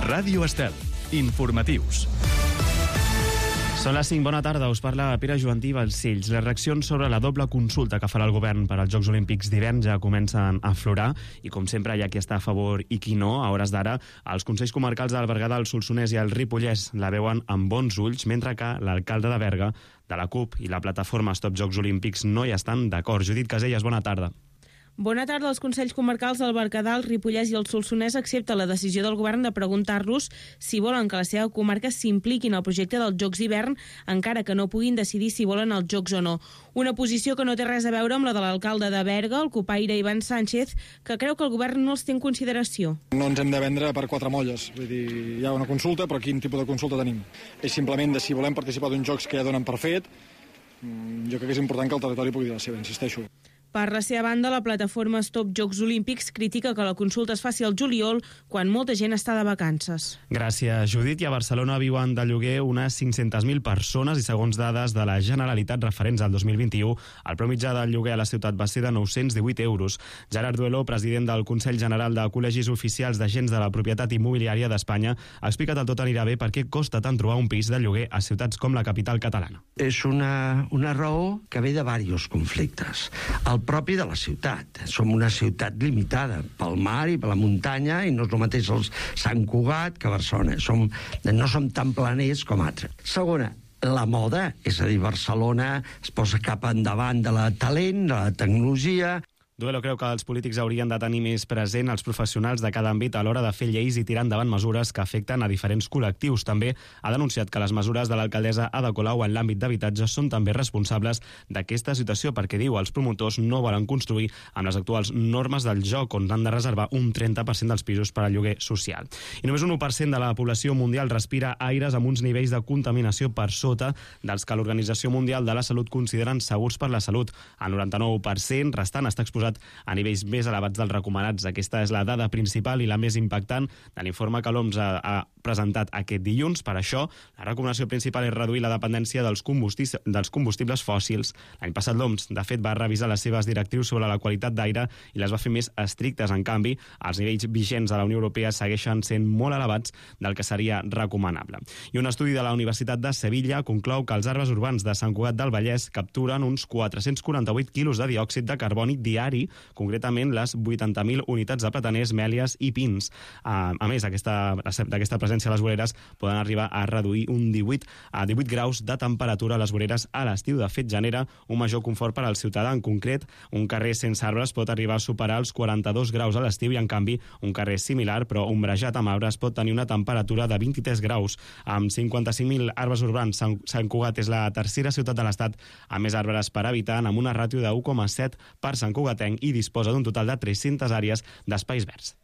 Ràdio Estel. Informatius. Són les 5, bona tarda, us parla Pere Joantí Balcells. Les reaccions sobre la doble consulta que farà el govern per als Jocs Olímpics d'hivern ja comencen a aflorar i, com sempre, hi ha qui està a favor i qui no. A hores d'ara, els Consells Comarcals del Berguedà, el Solsonès i el Ripollès la veuen amb bons ulls, mentre que l'alcalde de Berga, de la CUP i la plataforma Stop Jocs Olímpics no hi estan d'acord. Judit Casellas, bona tarda. Bona tarda. Els Consells Comarcals del Berguedà, el Ripollès i el Solsonès accepten la decisió del govern de preguntar-los si volen que la seva comarca s'impliquin al projecte dels Jocs d'hivern, encara que no puguin decidir si volen els Jocs o no. Una posició que no té res a veure amb la de l'alcalde de Berga, el copaire Ivan Sánchez, que creu que el govern no els té en consideració. No ens hem de vendre per quatre molles. Vull dir, hi ha una consulta, però quin tipus de consulta tenim? És simplement de si volem participar d'uns jocs que ja donen per fet. Jo crec que és important que el territori pugui dir la seva, insisteixo. Per la seva banda, la plataforma Stop Jocs Olímpics critica que la consulta es faci al juliol, quan molta gent està de vacances. Gràcies, Judit. I a Barcelona viuen de lloguer unes 500.000 persones i, segons dades de la Generalitat referents al 2021, el preu mitjà del lloguer a la ciutat va ser de 918 euros. Gerard Duelo, president del Consell General de Col·legis Oficials d'Agents de la Propietat Immobiliària d'Espanya, ha explicat al Tot anirà bé per què costa tant trobar un pis de lloguer a ciutats com la capital catalana. És una raó que ve de diversos conflictes. El propi de la ciutat. Som una ciutat limitada pel mar i per la muntanya i no és el mateix el Sant Cugat que Barcelona. No som tan planers com altres. Segona, la moda, és a dir, Barcelona es posa cap endavant de la talent, de la tecnologia. Duelo creu que els polítics haurien de tenir més present els professionals de cada àmbit a l'hora de fer lleis i tirar endavant mesures que afecten a diferents col·lectius. També ha denunciat que les mesures de l'alcaldessa Ada Colau en l'àmbit d'habitatge són també responsables d'aquesta situació perquè, diu, els promotors no volen construir amb les actuals normes del joc, on han de reservar un 30% dels pisos per al lloguer social. I només un 1% de la població mundial respira aires amb uns nivells de contaminació per sota dels que l'Organització Mundial de la Salut consideren segurs per la salut. El 99% restant està exposat a nivells més elevats dels recomanats. Aquesta és la dada principal i la més impactant de l'informe que l'OMS ha presentat aquest dilluns. Per això, la recomanació principal és reduir la dependència dels combustibles fòssils. L'any passat l'OMS, de fet, va revisar les seves directrius sobre la qualitat d'aire i les va fer més estrictes. En canvi, els nivells vigents de la Unió Europea segueixen sent molt elevats del que seria recomanable. I un estudi de la Universitat de Sevilla conclou que els arbres urbans de Sant Cugat del Vallès capturen uns 448 quilos de diòxid de carboni diari, concretament les 80.000 unitats de plataners, mèlies i pins. A més, d'aquesta presència a les voreres poden arribar a reduir un 18 graus de temperatura a les voreres a l'estiu. De fet, genera un major confort per al ciutadà. En concret, un carrer sense arbres pot arribar a superar els 42 graus a l'estiu i, en canvi, un carrer similar, però ombrejat amb arbres, pot tenir una temperatura de 23 graus. Amb 55.000 arbres urbans, Sant Cugat és la tercera ciutat de l'Estat amb més arbres per habitant, amb una ràtio de 1,7 per Sant Cugatenc i disposa d'un total de 300 àrees d'espais verds.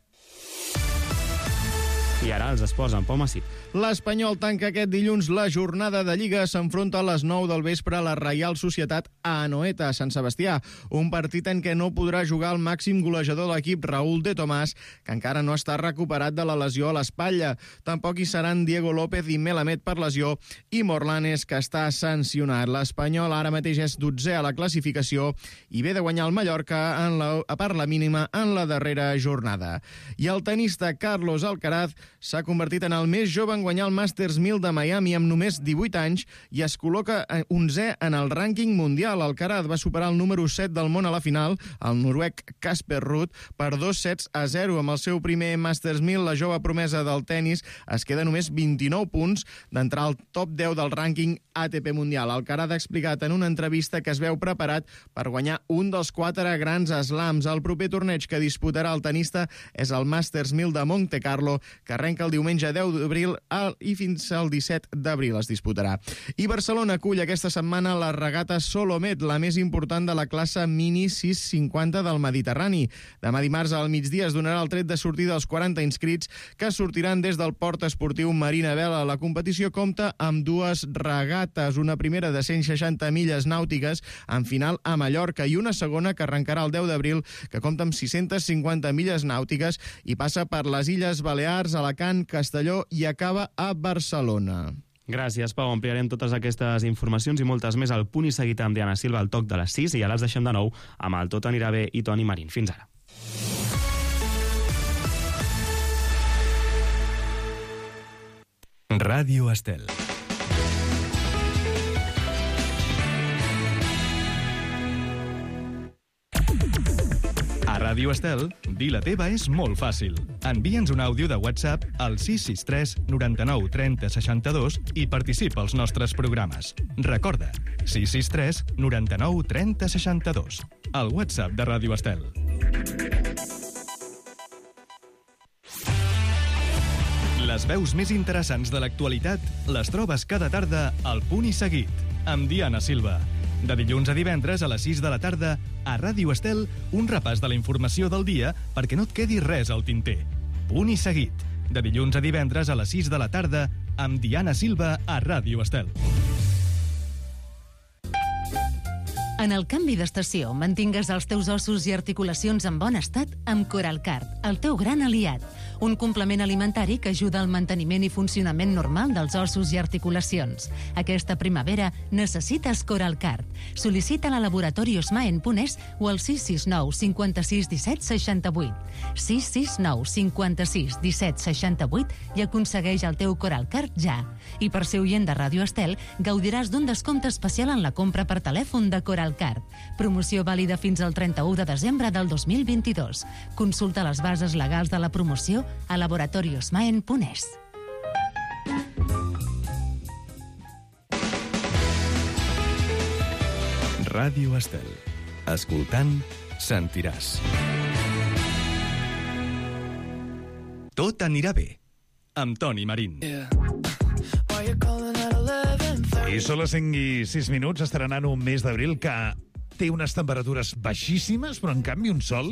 I ara els esports amb Pau Massip. L'Espanyol tanca aquest dilluns la jornada de Lliga. S'enfronta a les 9 del vespre a la Reial Societat a Anoeta, a Sant Sebastià. Un partit en què no podrà jugar el màxim golejador de l'equip, Raúl de Tomàs, que encara no està recuperat de la lesió a l'espatlla. Tampoc hi seran Diego López i Melamed per lesió i Morlanes, que està sancionat. L'Espanyol ara mateix és 12è a la classificació i ve de guanyar el Mallorca a part la mínima en la darrera jornada. I el tenista Carlos Alcaraz s'ha convertit en el més jove en guanyar el Masters 1000 de Miami amb només 18 anys i es col·loca 11è en el rànquing mundial. Alcaraz va superar el número 7 del món a la final, el noruec Casper Ruud, per 2-0. Amb el seu primer Masters 1000, la jove promesa del tennis es queda només 29 punts d'entrar al top 10 del rànquing ATP mundial. Alcaraz ha explicat en una entrevista que es veu preparat per guanyar un dels 4 grans slams. El proper torneig que disputarà el tenista és el Masters 1000 de Monte Carlo, que arrenca el diumenge 10 d'abril i fins al 17 d'abril es disputarà. I Barcelona acull aquesta setmana la regata Solomet, la més important de la classe Mini 650 del Mediterrani. Demà dimarts al migdia es donarà el tret de sortida als 40 inscrits que sortiran des del port esportiu Marina Vela. La competició compta amb 2 regates, una primera de 160 milles nàutiques en final a Mallorca i una segona que arrencarà el 10 d'abril que compta amb 650 milles nàutiques i passa per les Illes Balears, Alacant, Castelló i acaba a Barcelona. Gràcies, Pau. Ampliarem totes aquestes informacions i moltes més al Punt i Seguit amb Diana Silva al toc de les 6 i ara els deixem de nou amb el Tot anirà bé i Toni Marín. Fins ara. Ràdio Estel. A Ràdio Estel, dir la teva és molt fàcil. Envia'ns un àudio de WhatsApp al 663 99 30 62 i participa als nostres programes. Recorda, 663 99 30 62. El WhatsApp de Ràdio Estel. Les veus més interessants de l'actualitat les trobes cada tarda al Punt i Seguit, amb Diana Silva. De dilluns a divendres a les 6 de la tarda, a Ràdio Estel, un repàs de la informació del dia perquè no et quedi res al tinter. Punt i Seguit. De dilluns a divendres a les 6 de la tarda, amb Diana Silva a Ràdio Estel. En el canvi d'estació, mantingues els teus ossos i articulacions en bon estat amb Coralcard, el teu gran aliat. Un complement alimentari que ajuda al manteniment i funcionament normal dels ossos i articulacions. Aquesta primavera necessites Coralcard. Sol·licita-la a Laboratori Osmaen.es o al 669 56 17 68. 669 56 17 68 i aconsegueix el teu Coralcard ja. I per ser oient de Ràdio Estel, gaudiràs d'un descompte especial en la compra per telèfon de Coralcard. Promoció vàlida fins al 31 de desembre del 2022. Consulta les bases legals de la promoció a laboratoriosmaen.es. Ràdio Estel. Escoltant, sentiràs. Tot anirà bé. Amb Toni Marín. I són les 5 i 6 minuts, estrenant un mes d'abril que té unes temperatures baixíssimes, però en canvi un sol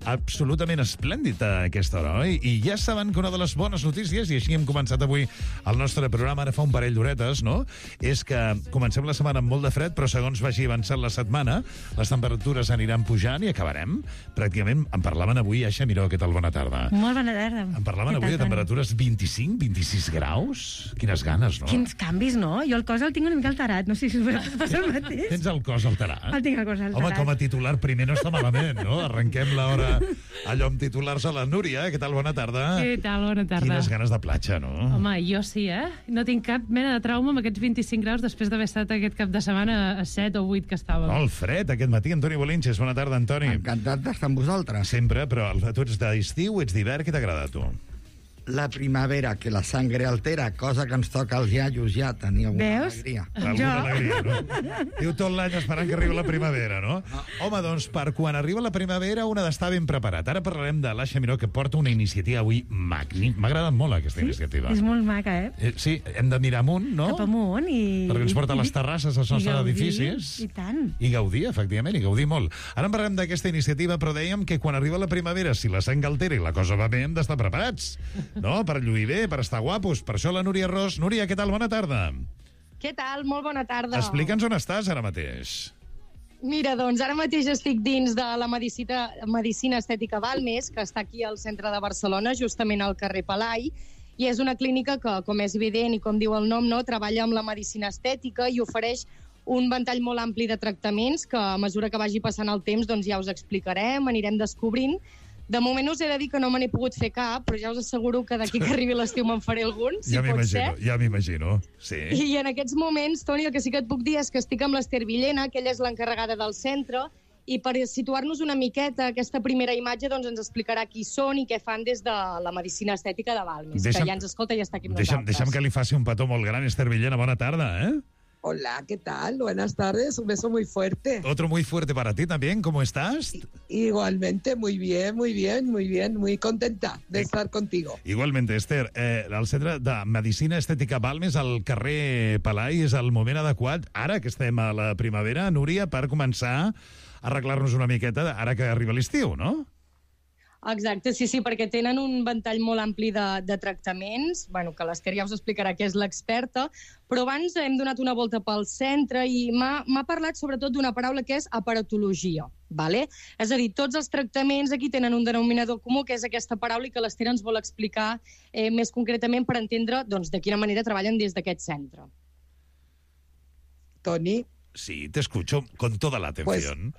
absolutament esplèndid a aquesta hora, oi? I ja saben que una de les bones notícies, i així hem començat avui el nostre programa, ara fa un parell d'horetes, no?, és que comencem la setmana amb molt de fred, però segons vagi avançant la setmana, les temperatures aniran pujant i acabarem. Pràcticament, en parlaven avui, Aixa Miró, què tal? Bona tarda. Molt bona tarda. En parlaven avui de temperatures 25, 26 graus? Quines ganes, no? Quins canvis, no? Jo el cos el tinc una mica alterat, no sé si us passa el mateix. Tens el cos alterat? El tinc el cos alterat. Home, com a titular primer no està malament, no? Arrenquem l'hora allò amb titulars a la Núria. Què tal? Bona tarda. Què tal? Bona tarda. Quines ganes de platja, no? Home, jo sí, No tinc cap mena de trauma amb aquests 25 graus després d'haver estat aquest cap de setmana a 7 o 8 que estàvem. Molt fred aquest matí. Antoni Bolinches, bona tarda, Antoni. Encantat d'estar amb vosaltres. Sempre, però tu ets d'estiu, ets d'hivern, què t'agrada a tu? La primavera, que la sangre altera, cosa que ens toca als iaios ja, tenir alguna alegria. Alguna alegria, no? Diu tot l'any esperant que arribi la primavera, no? Home, doncs, per quan arriba la primavera, un ha d'estar ben preparat. Ara parlarem de l'Aixa Miró, que porta una iniciativa avui magnífica. M'ha agradat molt aquesta iniciativa. És molt maca, Sí, hem de mirar amunt, no? Cap amunt i... Perquè ens porta a les terrasses dels nostres edificis. I tant. I gaudir, efectivament, i gaudir molt. Ara en parlem d'aquesta iniciativa, però dèiem que quan arriba la primavera, si la sang altera i la cosa va bé, hem d'estar preparats, no? Per lluir bé, per estar guapos. Per això la Núria Ros. Núria, què tal? Bona tarda. Què tal? Molt bona tarda. Explica'ns on estàs ara mateix. Mira, doncs ara mateix estic dins de la Medicina Estètica Balmes, que està aquí al centre de Barcelona, justament al carrer Palai, i és una clínica que, com és evident i com diu el nom, no, treballa amb la medicina estètica i ofereix un ventall molt ampli de tractaments que, a mesura que vagi passant el temps, doncs ja us explicarem, anirem descobrint. De moment us he de dir que no me n'he pogut fer cap, però ja us asseguro que d'aquí que arribi l'estiu me'n faré algun, si pot ser. Ja m'imagino, sí. I en aquests moments, Toni, el que sí que et puc dir és que estic amb l'Ester Villena, que ella és l'encarregada del centre, i per situar-nos una miqueta aquesta primera imatge, doncs ens explicarà qui són i què fan des de la Medicina Estètica de Balmes, que ja ens escolta i està aquí amb nosaltres. Deixa'm que li faci un petó molt gran, Ester Villena, bona tarda, Hola, ¿qué tal? Buenas tardes, un beso muy fuerte. Otro muy fuerte para ti también, ¿cómo estás? Igualmente, muy bien, muy contenta de estar contigo. Igualmente, Esther, el Centre de Medicina Estètica Balmes al carrer Palai és el moment adequat, ara que estem a la primavera, Núria, per començar a arreglar-nos una miqueta ara que arriba l'estiu, no? Exacte, sí, perquè tenen un ventall molt ampli de tractaments, bueno, que l'Ester ja us explicarà que és l'experta, però abans hem donat una volta pel centre i m'ha parlat sobretot d'una paraula que és aparatologia, vale? És a dir, tots els tractaments aquí tenen un denominador comú, que és aquesta paraula, i que l'Ester ens vol explicar més concretament per entendre doncs, de quina manera treballen des d'aquest centre. Toni. Sí, te escucho con toda la atención.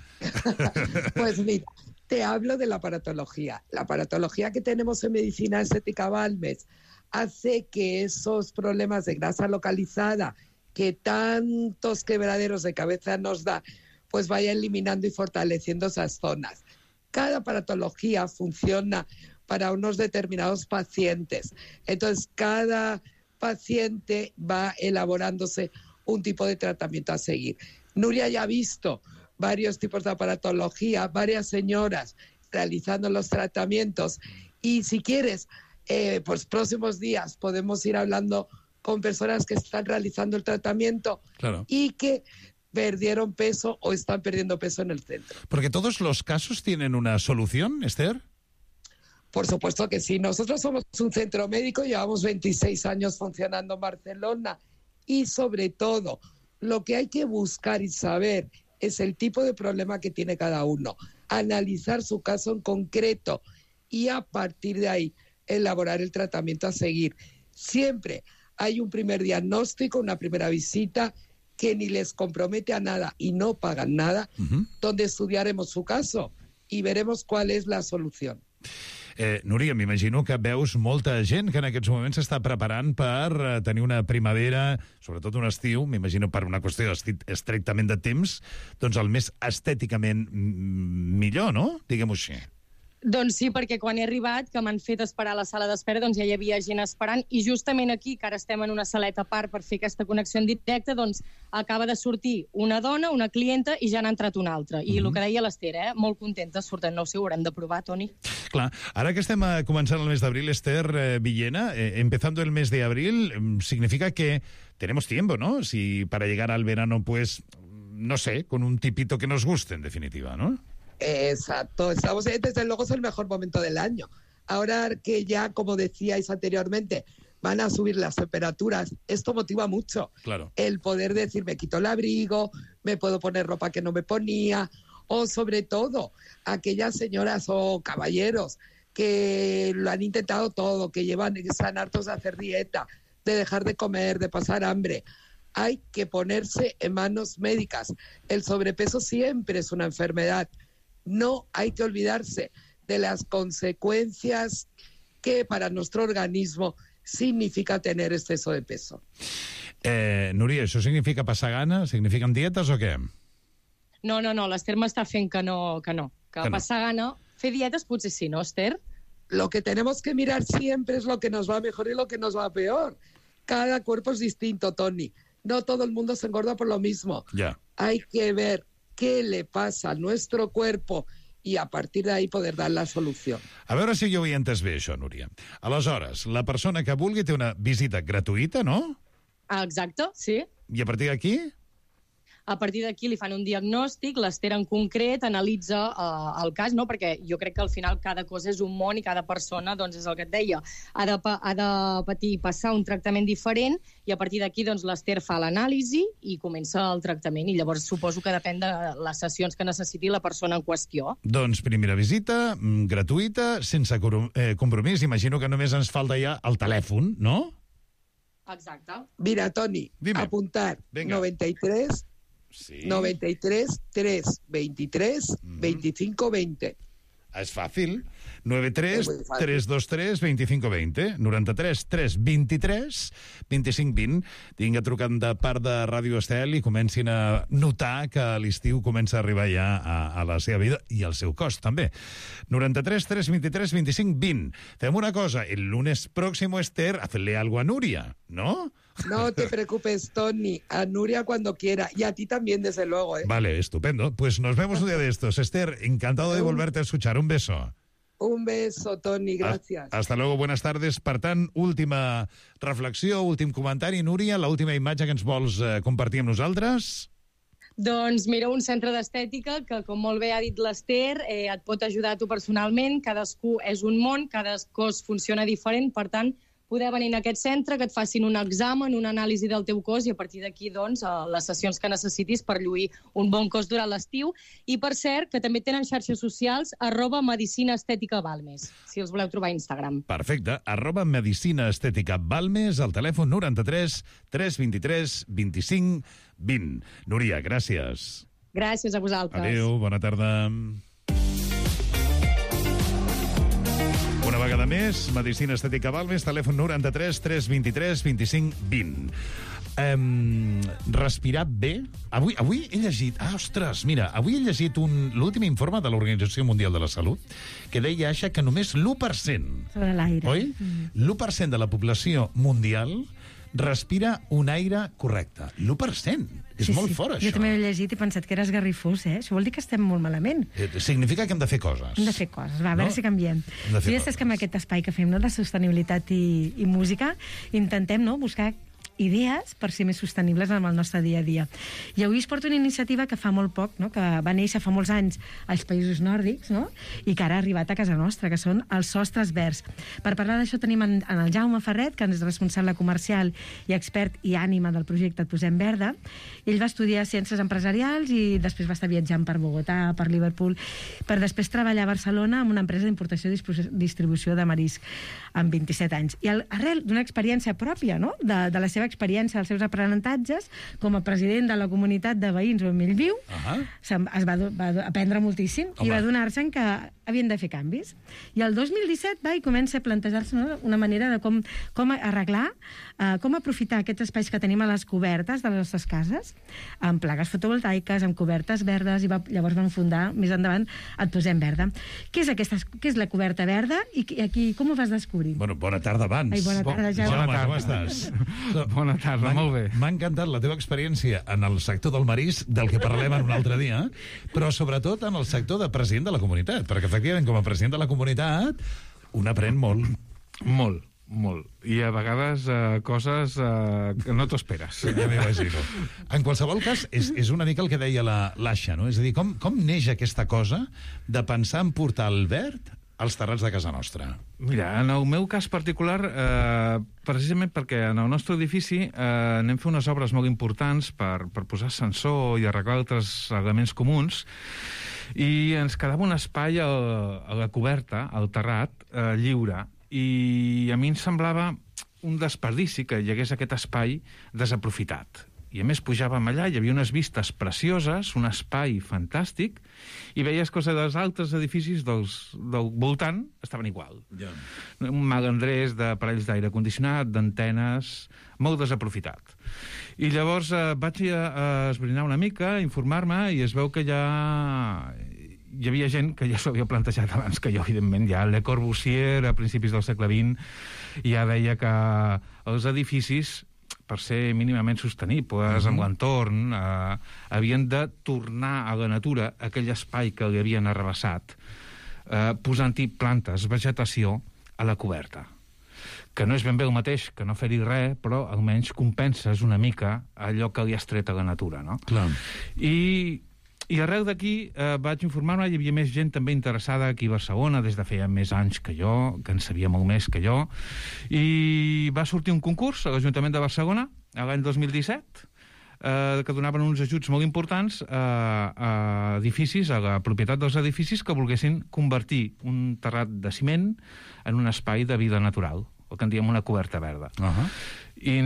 Pues mira, te hablo de la aparatología. La aparatología que tenemos en Medicina Estética Balmes hace que esos problemas de grasa localizada que tantos quebraderos de cabeza nos da, pues vaya eliminando y fortaleciendo esas zonas. Cada aparatología funciona para unos determinados pacientes. Entonces, cada paciente va elaborándose un tipo de tratamiento a seguir. Nuria ya ha visto varios tipos de aparatología, varias señoras realizando los tratamientos, y si quieres, pues próximos días podemos ir hablando con personas que están realizando el tratamiento y que perdieron peso o están perdiendo peso en el centro. Porque todos los casos tienen una solución, Esther. Por supuesto que sí. Nosotros somos un centro médico, llevamos 26 años funcionando en Barcelona, y sobre todo lo que hay que buscar y saber es el tipo de problema que tiene cada uno, analizar su caso en concreto y a partir de ahí elaborar el tratamiento a seguir. Siempre hay un primer diagnóstico, una primera visita que ni les compromete a nada y no pagan nada, donde estudiaremos su caso y veremos cuál es la solución. Núria, m'imagino que veus molta gent que en aquests moments s'està preparant per tenir una primavera, sobretot un estiu, m'imagino per una qüestió estrictament de temps, doncs el més estèticament millor, no? Diguem-ho així. Doncs sí, perquè quan he arribat, que m'han fet esperar a la sala d'espera, doncs ja hi havia gent esperant, i justament aquí, que ara estem en una saleta a part per fer aquesta connexió en directe, doncs acaba de sortir una dona, una clienta, i ja n'ha entrat una altra. I el que deia l'Esther, molt contenta, surten, no ho sé, ho haurem de provar, Toni. Clar, ara que estem començant el mes d'abril, Esther Villena, empezando el mes de abril, significa que tenemos tiempo, ¿no? Si para llegar al verano, pues, no sé, con un tipito que nos guste, en definitiva, ¿no? Exacto, estamos, desde luego es el mejor momento del año. Ahora que ya, como decíais anteriormente, van a subir las temperaturas, esto motiva mucho. Claro. El poder decir, me quito el abrigo, me puedo poner ropa que no me ponía, o sobre todo aquellas señoras o caballeros que lo han intentado todo, que están hartos de hacer dieta, de dejar de comer, de pasar hambre. Hay que ponerse en manos médicas. El sobrepeso siempre es una enfermedad. No hay que olvidarse de las consecuencias que para nuestro organismo significa tener exceso de peso. Núria, ¿això significa passar gana? ¿Signifiquen dietes o què? No, l'Esther m'està fent que no. Que passar gana... Fer dietes potser sí, ¿no, Esther? Lo que tenemos que mirar siempre es lo que nos va mejor y lo que nos va peor. Cada cuerpo es distinto, Toni. No todo el mundo se engorda por lo mismo. Ya. Hay que ver qué le pasa a nuestro cuerpo i a partir d'ahí poder dar la solució. A veure si jo ho he entès bé, això, Núria. Aleshores, la persona que vulgui té una visita gratuïta, no? Exacte, sí. I a partir d'aquí? A partir d'aquí li fan un diagnòstic, l'Esther en concret analitza el cas, no? Perquè jo crec que al final cada cosa és un món i cada persona, doncs és el que et deia, ha de passar un tractament diferent i a partir d'aquí doncs, l'Esther fa l'anàlisi i comença el tractament i llavors suposo que depèn de les sessions que necessiti la persona en qüestió. Doncs primera visita, gratuïta, sense compromís. Imagino que només ens falta ja el telèfon, no? Exacte. Mira, Toni, apuntar. Venga. 93... Sí. 93 3 23 25 20. És fàcil. 93 323 25 20. 93 3 23 25 20. Tinga trucant de part de Ràdio Estel i comencin a notar que l'estiu comença a arribar ja a la seva vida i al seu cost, també. 93 3 23 25 20. Fem una cosa. El lunes próximo, Esther, hazle algo a Núria, ¿no? No te preocupes, Toni. A Nuria cuando quiera. Y a ti también, desde luego, ¿eh? Vale, estupendo. Pues nos vemos un día de estos. Esther, encantado de volverte a escuchar. Un beso. Un beso, Toni. Gracias. Hasta luego, buenas tardes. Per tant, última reflexió, últim comentari. Núria, l'última imatge que ens vols compartir amb nosaltres? Doncs mira, un centre d'estètica que, com molt bé ha dit l'Esther, et pot ajudar a tu personalment. Cadascú és un món, cada cos funciona diferent, per tant, poder venir a aquest centre, que et facin un examen, una anàlisi del teu cos i a partir d'aquí, doncs, les sessions que necessitis per lluir un bon cos durant l'estiu. I, per cert, que també tenen xarxes socials, @medicinaesteticabalmes, si els voleu trobar a Instagram. Perfecte, @medicinaesteticabalmes, al telèfon 93 323 25 20. Núria, gràcies. Gràcies a vosaltres. Adéu, bona tarda. Una vegada més, Medicina Estètica Balmes, telèfon 93 323 25 20. Respirar bé. Avui he llegit... ostres, mira, avui he llegit l'últim informe de l'Organització Mundial de la Salut que deia que només l'1%... Sobre l'aire. Oi? L'1% de la població mundial respira un aire correcte. L'1%. És molt fort, això. Jo també he llegit i pensat que era esgarrifós, Això vol dir que estem molt malament. Significa que hem de fer coses. Hem de fer coses. Va, a veure si canviem. I ja saps que amb aquest espai que fem, de sostenibilitat i música, intentem buscar idees per ser més sostenibles en el nostre dia a dia. I avui es porta una iniciativa que fa molt poc, que va néixer fa molts anys als països nòrdics, i que ara ha arribat a casa nostra, que són els sostres verds. Per parlar d'això tenim en el Jaume Ferret, que és responsable comercial i expert i ànima del projecte Et Posem Verda. Ell va estudiar ciències empresarials i després va estar viatjant per Bogotà, per Liverpool, per després treballar a Barcelona amb una empresa d'importació i distribució de marisc amb 27 anys. I arrel d'una experiència pròpia, de la seva experiència, dels seus aprenentatges, com a president de la comunitat de veïns on ell viu, es va aprendre moltíssim i va donar-se que havien de fer canvis. I el 2017 va i comença a plantejar-se una manera de com arreglar, com aprofitar aquests espais que tenim a les cobertes de les nostres cases, amb plaques fotovoltaiques, amb cobertes verdes, i llavors van fundar més endavant Et Posem Verda. Què és la coberta verda i com ho vas descobrir? Bueno, bona tarda abans. Ai, bona tarda, Jaume. Jaume, com estàs? Bona tarda, molt bé. M'ha encantat la teva experiència en el sector del marisc, del que parlem en un altre dia, però sobretot en el sector de president de la comunitat, perquè efectivament com a president de la comunitat un aprèn molt. Molt. I a vegades coses que no t'ho esperes. Ja m'imagino. En qualsevol cas, és una mica el que deia l'Aixa, no? És a dir, com neix aquesta cosa de pensar en portar el verd als terrats de casa nostra? Mira, en el meu cas particular, precisament perquè en el nostre edifici anem a fer unes obres molt importants per posar ascensor i arreglar altres elements comuns, i ens quedava un espai a la coberta, al terrat, lliure, i a mi em semblava un desperdici que hi hagués aquest espai desaprofitat. I a més pujàvem allà, hi havia unes vistes precioses, un espai fantàstic, i veies que els altres edificis del voltant estaven igual. Yeah. Un malandrés d'aparells d'aire condicionat, d'antenes, molt desaprofitat. I llavors vaig a esbrinar una mica, a informar-me, i es veu que hi havia gent que ja s'ho havia plantejat abans que jo, evidentment. Ja Le Corbusier, a principis del segle XX, ja deia que els edificis, per ser mínimament sostenibles amb l'entorn, havien de tornar a la natura aquell espai que li havien arrabassat, posant-hi plantes, vegetació, a la coberta. Que no és ben bé el mateix que no fer-hi res, però almenys compenses una mica allò que li has tret a la natura, no? Clar. I arrel d'aquí vaig informar-me, hi havia més gent també interessada aquí a Barcelona, des de feia més anys que jo, que en sabia molt més que jo, i va sortir un concurs a l'Ajuntament de Barcelona, l'any 2017, que donaven uns ajuts molt importants a edificis, a la propietat dels edificis, que volguessin convertir un terrat de ciment en un espai de vida natural, el que en diem una coberta verda. I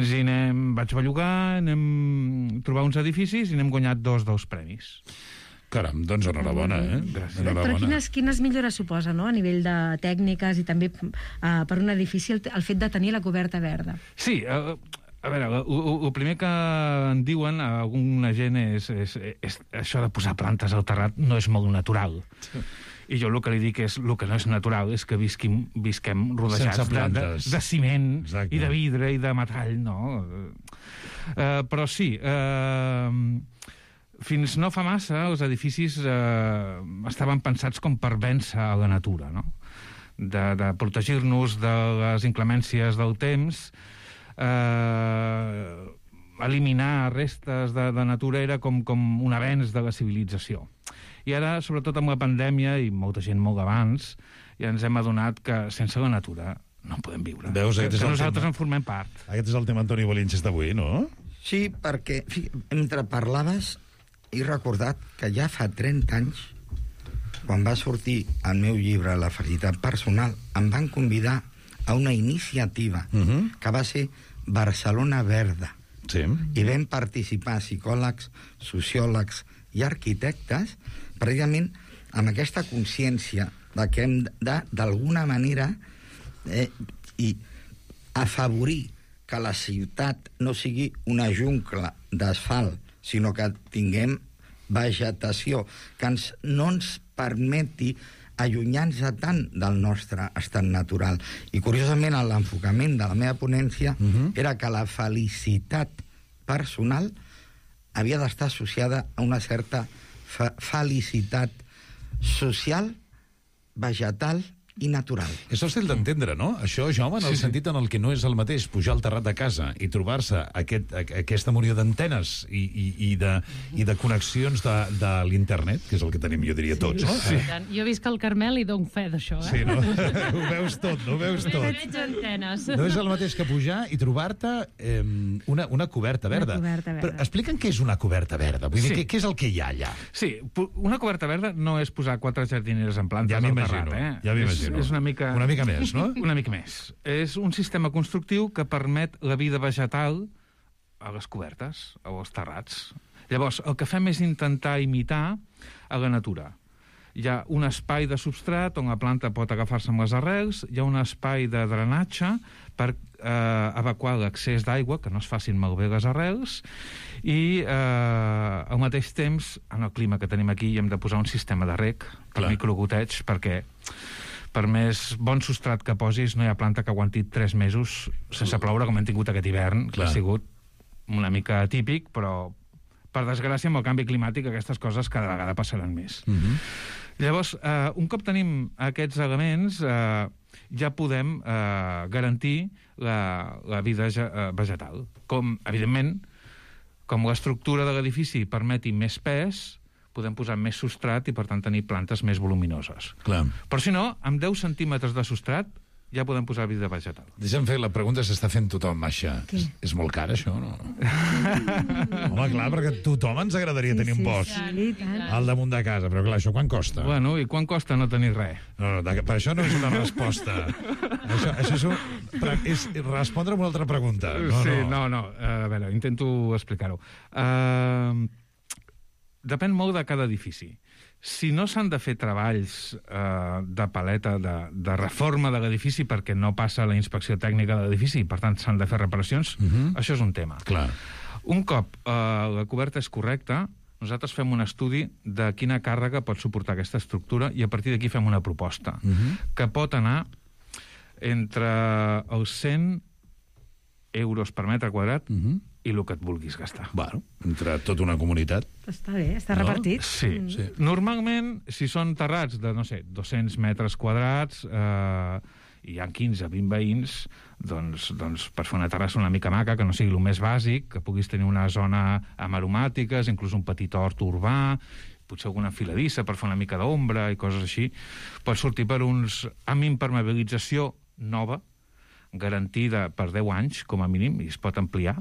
vaig bellugar, anem trobar uns edificis i n'hem guanyat dos premis. Caram, doncs enhorabona, Gràcies. Però quines millores suposa, a nivell de tècniques i també per un edifici el fet de tenir la coberta verda? Sí, a veure, el primer que en diuen a alguna gent és això de posar plantes al terrat no és molt natural. I jo el que li dic és, el que no és natural és que visquem rodejats de ciment. Exacte. I de vidre i de metall, no? Però sí, fins no fa massa els edificis estaven pensats com per vèncer a la natura, no? De protegir-nos de les inclemències del temps, eliminar restes de natura era com un avenç de la civilització. I ara, sobretot amb la pandèmia, i molta gent molt abans, ja ens hem adonat que sense la natura no podem viure. Veus, que nosaltres en formem part. Aquest és el tema Antoni Bolinches d'avui, no? Sí, perquè mentre parlaves he recordat que ja fa 30 anys, quan va sortir el meu llibre La felicitat personal, em van convidar a una iniciativa que va ser Barcelona Verda. Sí. I vam participar psicòlegs, sociòlegs i arquitectes precisament amb aquesta consciència de que hem d'alguna manera i afavorir que la ciutat no sigui una jungla d'asfalt, sinó que tinguem vegetació, que no ens permeti allunyar-nos tant del nostre estat natural. I, curiosament, l'enfocament de la meva ponència era que la felicitat personal havia d'estar associada a una certa felicitat social, vegetal i natural. És fàcil d'entendre, no? Això, Jaume, en el sentit en el que no és el mateix pujar al terrat de casa i trobar-se aquesta munió d'antenes i de connexions de l'internet, que és el que tenim, jo diria, tots, no? Sí. Jo visc al Carmel i dono fe d'això, Sí, no? Ho veus tot, no ho veus tot. Veig antenes. No és el mateix que pujar i trobar-te una coberta verda. Una coberta verda. Però explica'm què és una coberta verda. Vull dir, què és el que hi ha allà? Sí, una coberta verda no és posar 4 jardineres en plantes al terrat, Ja m'imagino. És una mica més, no? Una mica més. És un sistema constructiu que permet la vida vegetal a les cobertes, o als terrats. Llavors, el que fem és intentar imitar a la natura. Hi ha un espai de substrat on la planta pot agafar-se amb les arrels, hi ha un espai de drenatge per evacuar l'excés d'aigua, que no es facin malbé les arrels, i al mateix temps, en el clima que tenim aquí, hi hem de posar un sistema de reg per microgoteig, perquè per més bon substrat que posis, no hi ha planta que aguanti 3 mesos sense ploure, com hem tingut aquest hivern, que ha sigut una mica atípic, però, per desgràcia, amb el canvi climàtic, aquestes coses cada vegada passaran més. Llavors, un cop tenim aquests elements, ja podem garantir la vida vegetal. Com, evidentment, com l'estructura de l'edifici permeti més pes, podem posar més substrat i, per tant, tenir plantes més voluminoses. Clar. Però, si no, amb 10 centímetres de substrat ja podem posar vida vegetal. Deixa'm fer, la pregunta s'està fent tothom, Masha. És molt car, això, no? Home, clar, perquè a tothom ens agradaria tenir un bosc al damunt de casa, però clar, això quan costa? Bueno, i quan costa no tenir res? No, per això no és una resposta. Això és respondre a una altra pregunta. No. A veure, intento explicar-ho. Depèn molt de cada edifici. Si no s'han de fer treballs de paleta, de reforma de l'edifici, perquè no passa la inspecció tècnica de l'edifici i, per tant, s'han de fer reparacions, això és un tema. Clar. Un cop la coberta és correcta, nosaltres fem un estudi de quina càrrega pot suportar aquesta estructura i a partir d'aquí fem una proposta que pot anar entre els 100 euros per metre quadrat i el que et vulguis gastar. Bueno, entre tota una comunitat. Està bé, està repartit. Sí. Normalment, si són terrats de, 200 metres quadrats, hi ha 15-20 veïns, doncs per fer una terrassa una mica maca, que no sigui el més bàsic, que puguis tenir una zona amb aromàtiques, inclús un petit hort urbà, potser alguna enfiladissa per fer una mica d'ombra i coses així, pot sortir per amb impermeabilització nova, garantida per 10 anys, com a mínim, i es pot ampliar,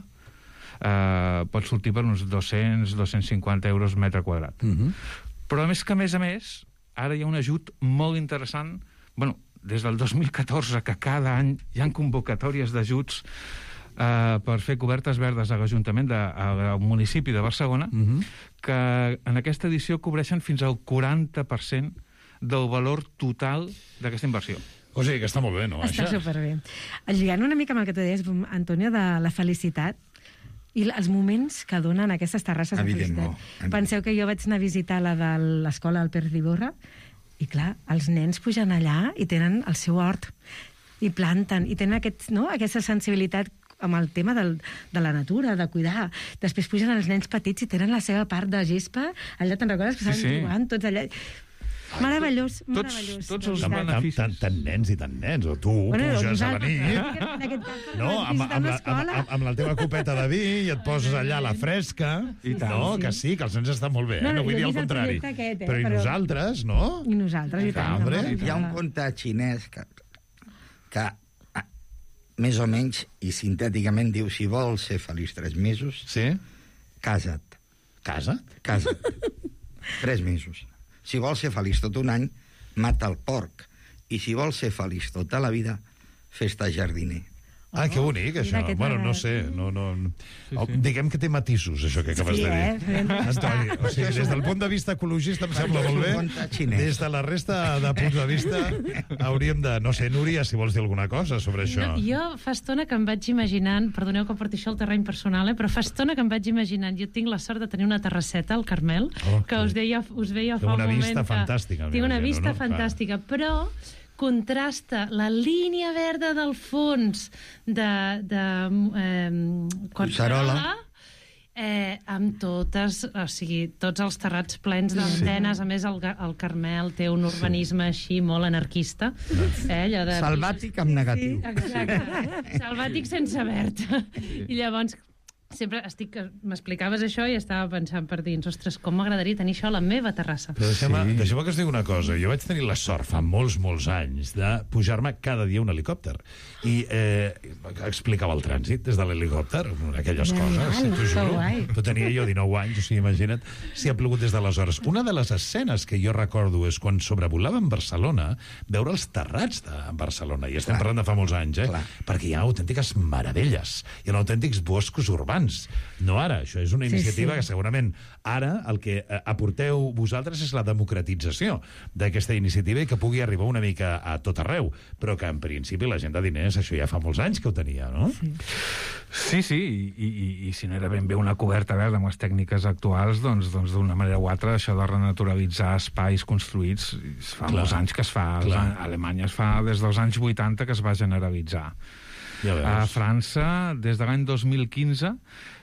pot sortir per uns 200-250 euros metre quadrat. Però a més, ara hi ha un ajut molt interessant, des del 2014, que cada any hi ha convocatòries d'ajuts per fer cobertes verdes a l'Ajuntament al municipi de Barcelona, que en aquesta edició cobreixen fins al 40% del valor total d'aquesta inversió. O sigui que està molt bé, no? Està superbé. Lligant una mica amb el que tu deies, Antonio, de la felicitat i els moments que donen aquestes terrasses de felicitat. Penseu que jo vaig anar a visitar la de l'escola del Pérez d'Iborra i, clar, els nens pugen allà i tenen el seu hort i planten, i tenen aquesta sensibilitat amb el tema de la natura, de cuidar. Després pugen els nens petits i tenen la seva part de gespa. Allà te'n recordes que estaven jugant tots allà... Meravellós. Tots els beneficis. Tant nens i tant nens, o tu puges a la nit, amb la teva copeta de vi i et poses allà a la fresca, que sí, que els nens estan molt bé, no vull dir el contrari. Però i nosaltres, no? I nosaltres, i tant. Hi ha un conte xinès que més o menys i sintèticament diu: si vols ser feliç 3 mesos, casa't. Casa't? Casa't. 3 mesos. Si vols ser feliç tot un any, mata el porc. I si vols ser feliç tota la vida, fes-te jardiner. Ah, que bonic, això. Bueno, no sé. Diguem que té matisos, això que acabes de dir. Antoni, o sigui, des del punt de vista ecologista em sembla molt bé. Des de la resta de punts de vista hauríem de... No sé, Núria, si vols dir alguna cosa sobre això. Jo fa estona que em vaig imaginant, perdoneu que porti això al terreny personal, però fa estona que em vaig imaginant, jo tinc la sort de tenir una terrasseta al Carmel, que us veia fa un moment... Una vista fantàstica. Tinc una vista fantàstica, però contrasta la línia verda del fons de Collserola amb totes, o sigui, tots els terrats plens d'antenes. A més, el Carmel té un urbanisme així molt anarquista. Salvàtic amb negatiu. Exacte. Salvàtic sense verd. I llavors sempre m'explicaves això i estava pensant per dins, ostres, com m'agradaria tenir això a la meva terrassa. Però deixeu-me que us digui una cosa. Jo vaig tenir la sort fa molts anys de pujar-me cada dia un helicòpter i explicava el trànsit des de l'helicòpter, aquelles coses, t'ho juro. Però tenia jo 19 anys, o sigui, imagina't si ha plogut des d'aleshores. Una de les escenes que jo recordo és quan sobrevolàvem Barcelona, veure els terrats de Barcelona, i estem parlant de fa molts anys, perquè hi ha autèntiques meravelles, hi ha autèntics boscos urbans. No ara, això és una iniciativa que segurament ara el que aporteu vosaltres és la democratització d'aquesta iniciativa i que pugui arribar una mica a tot arreu, però que en principi la gent de diners, això ja fa molts anys que ho tenia, no? Sí, i si no era ben bé una coberta verda amb les tècniques actuals, doncs d'una manera o altra això de renaturalitzar espais construïts fa molts anys que es fa. A Alemanya es fa des dels anys 80 que es va generalitzar. A França, des de l'any 2015,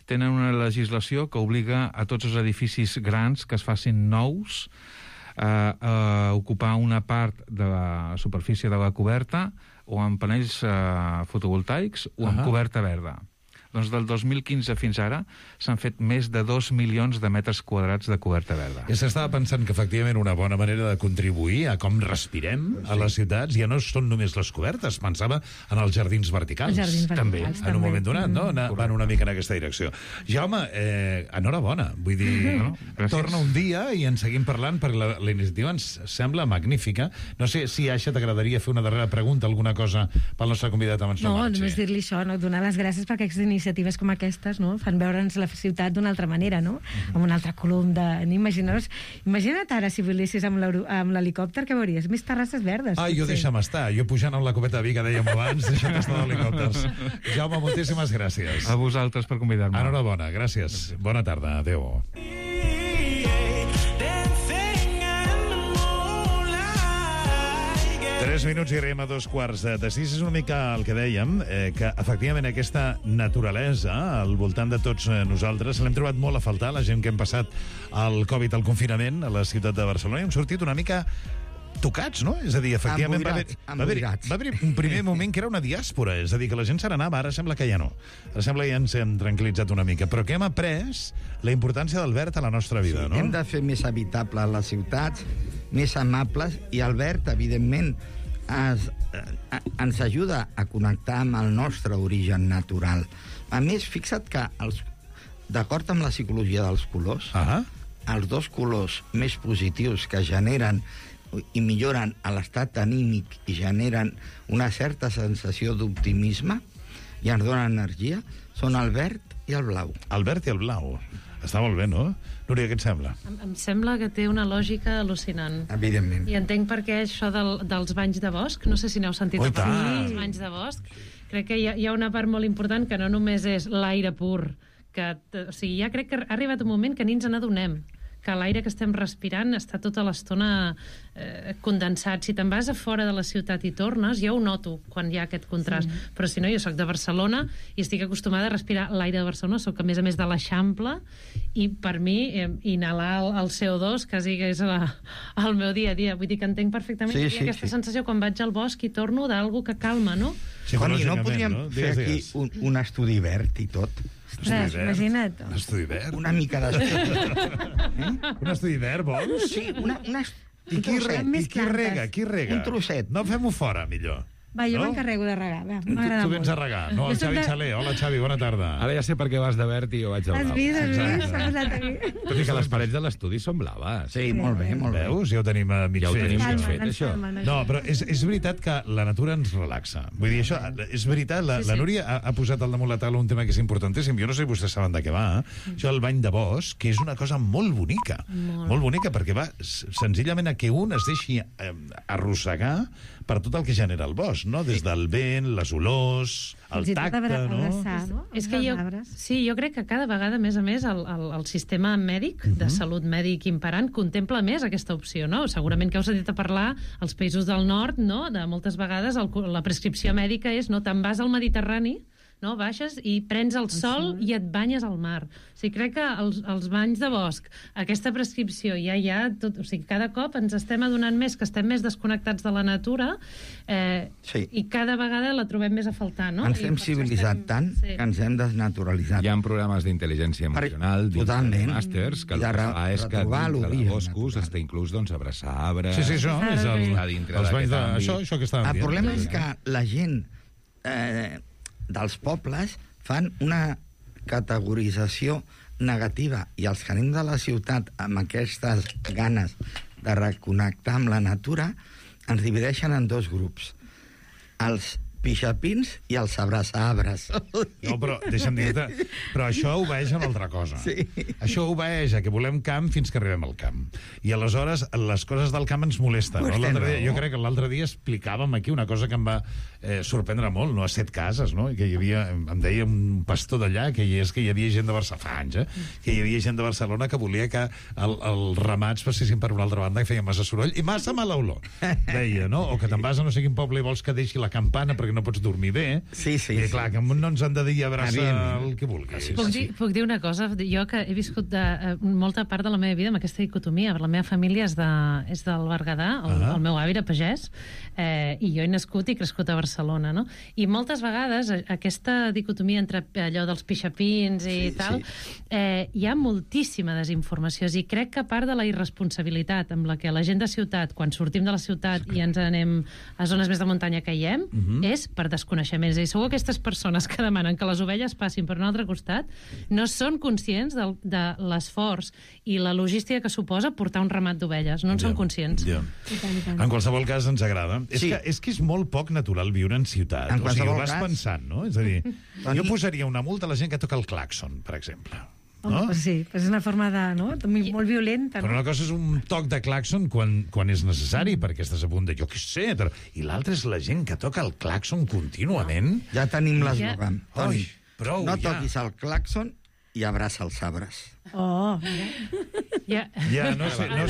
tenen una legislació que obliga a tots els edificis grans que es facin nous a ocupar una part de la superfície de la coberta o amb panells fotovoltaics o amb coberta verda. Doncs del 2015 fins ara s'han fet més de 2 milions de metres quadrats de coberta verda. I s'estava pensant que efectivament una bona manera de contribuir a com respirem a les ciutats ja no són només les cobertes, pensava en els jardins verticals. També, en un moment donat, no? Van una mica en aquesta direcció. Jaume, enhorabona. Vull dir, torna un dia i en seguim parlant perquè la iniciativa ens sembla magnífica. No sé si, Aixa, t'agradaria fer una darrera pregunta, alguna cosa pel nostre convidat abans no marxi. No, només dir-li això, donar les gràcies perquè aquestes iniciatives com aquestes fan veure'ns la ciutat d'una altra manera, amb un altre colom de... Imagina't ara si volessis amb l'helicòpter, què veuries? Més terrasses verdes. Jo deixa'm estar. Jo pujant amb la copeta de vi que dèiem abans, deixa'm estar d'helicòpters. Jaume, moltíssimes gràcies. A vosaltres per convidar-me. Enhorabona, gràcies. Bona tarda. Adéu. 3 minuts i arribem a 5:45. És una mica el que dèiem, que efectivament aquesta naturalesa al voltant de tots nosaltres l'hem trobat molt a faltar, la gent que hem passat el Covid al confinament a la ciutat de Barcelona, i hem sortit una mica tocats, no? És a dir, efectivament va haver un primer moment que era una diàspora, és a dir, que la gent se n'anava, ara sembla que ja no. Ara sembla que ja ens hem tranquil·litzat una mica, però que hem après la importància del verd a la nostra vida, no? Hem de fer més habitables les ciutats, més amables, i el verd, evidentment, ens ajuda a connectar amb el nostre origen natural. A més, fixa't que, d'acord amb la psicologia dels colors, els dos colors més positius que generen i milloren l'estat anímic i generen una certa sensació d'optimisme i ens donen energia són el verd i el blau. El verd i el blau. Està molt bé, no? Núria, què et sembla? Em sembla que té una lògica al·lucinant. Evidentment. I entenc per què això dels banys de bosc, no sé si n'heu sentit a parlar dels banys de bosc, crec que hi ha una part molt important que no només és l'aire pur, o sigui, ja crec que ha arribat un moment que ni ens n'adonem, que l'aire que estem respirant està tota l'estona condensat. Si te'n vas a fora de la ciutat i tornes, jo ho noto quan hi ha aquest contrast. Però si no, jo soc de Barcelona i estic acostumada a respirar l'aire de Barcelona, soc a més de l'Eixample, i per mi inhalar el CO2 quasi que és el meu dia a dia. Vull dir que entenc perfectament que hi ha aquesta sensació quan vaig al bosc i torno d'algú que calma, no? Toni, no podríem fer aquí un estudi verd i tot? Ostres, imagina't. Un estudi verd? Una mica d'estudi. Un estudi verd, vols? Sí, I qui rega? Un trosset. No, fem-ho fora, millor. Va, jo m'encarrego de regar. M'agrada Tu vens a regar, no? El Xavi Xaler. Hola, Xavi, bona tarda. Ara ja sé per què vas de verd i jo vaig de blau. Has vist? S'ha posat aquí. Tot i que les parets de l'estudi són blaves. Sí, molt bé, molt bé. Veus? Ja ho tenim mig Ja ho fet. tenim això. mig fet, això. No, però és veritat que la natura ens relaxa. Vull dir, això és veritat. La Núria ha posat al damunt la taula un tema que és importantíssim. Jo no sé si vostès saben de què va. Això del bany de bosc, que és una cosa molt bonica. Molt bonica, perquè va senzillament a que un es deixi arrossegar per tot el que genera el bosc, no? Des del vent, les olors, el tacte, no? És que jo crec que cada vegada, a més, el sistema mèdic, de salut mèdic imperant, contempla més aquesta opció, no? Segurament que heu sentit a parlar als països del nord, no? De moltes vegades la prescripció mèdica és, no? Te'n vas al Mediterrani, no? Baixes i prens el sol i et banyes al mar. O sigui, crec que els banys de bosc, aquesta prescripció, tot, o sigui, cada cop ens estem adonant més que estem més desconnectats de la natura i cada vegada la trobem més a faltar, no? Ens hem civilitzat tant que ens hem desnaturalitzat. Hi ha programes d'intel·ligència emocional, màsters, que el que fa és que dintre de boscos està inclús abraçar arbres... Sí, això és els banys de... Això que estàvem dient. El problema és que la gent dels pobles fan una categorització negativa i els que anem de la ciutat amb aquestes ganes de reconnectar amb la natura ens divideixen en dos grups. Els pixapins i els abraçaarbres. No, però deixa'm dir-te, però això obeeix a una altra cosa. Sí. Això obeeix a que volem camp fins que arribem al camp. I aleshores les coses del camp ens molesten. No? Jo crec que l'altre dia explicàvem aquí una cosa que em va sorprendre molt, no? A 7 cases, no? Que hi havia, em deia un pastor d'allà, que hi havia gent de Barcelona, fa anys, que hi havia gent de Barcelona que volia que els ramats passessin per una altra banda, que feia massa soroll i massa mala olor, deia, no? O que te'n vas a no sé quin poble i vols que deixi la campana perquè no pots dormir bé. Sí. I clar, que no ens han de dir abraça el que vulguis. Puc dir una cosa? Jo que he viscut molta part de la meva vida amb aquesta dicotomia. La meva família és del Berguedà, el meu avi era pagès, i jo he nascut i crescut a Barcelona, no? I moltes vegades aquesta dicotomia entre allò dels pixapins i tal, hi ha moltíssima desinformació, i crec que part de la irresponsabilitat amb la que la gent de ciutat, quan sortim de la ciutat i ens anem a zones més de muntanya caiem, és per desconeixements. I segur que aquestes persones que demanen que les ovelles passin per un altre costat no són conscients de l'esforç i la logística que suposa portar un ramat d'ovelles. No en són conscients. En qualsevol cas, ens agrada. És que és molt poc natural viure en ciutat. O sigui, ho vas pensant, no? És a dir, jo posaria una multa a la gent que toca el clàxon, per exemple. No? Sí, és una forma molt violenta. Però una cosa és un toc de clàxon quan és necessari, perquè estàs a punt de, jo què sé, i l'altra és la gent que toca el clàxon contínuament. Ja tenim l'eslògan. Toni, no toquis el clàxon i abraça els arbres. Oh, ja, no sé. A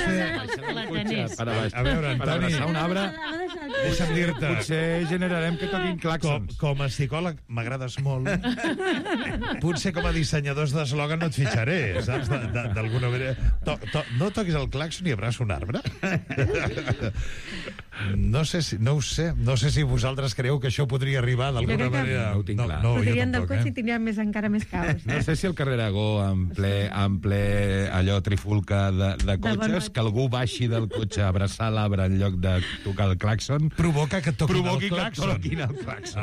veure, Antoni, un arbre, deixa'm dir-te. Potser generarem que toquin clàxons. Com a psicòleg m'agrades molt. Potser com a dissenyadors d'eslògan no et fitxaré, saps? D'alguna manera. No toquis el clàxon i abraça un arbre? No ho sé. No sé si vosaltres creu que això podria arribar d'alguna manera. No ho tinc clar. Podrien del cotxe i tindríem encara més caos. No sé si el carrer Aragó en ple allò trifulca de cotxes, que algú baixi del cotxe a abraçar l'arbre en lloc de tocar el clàxon provoca que toquin el clàxon.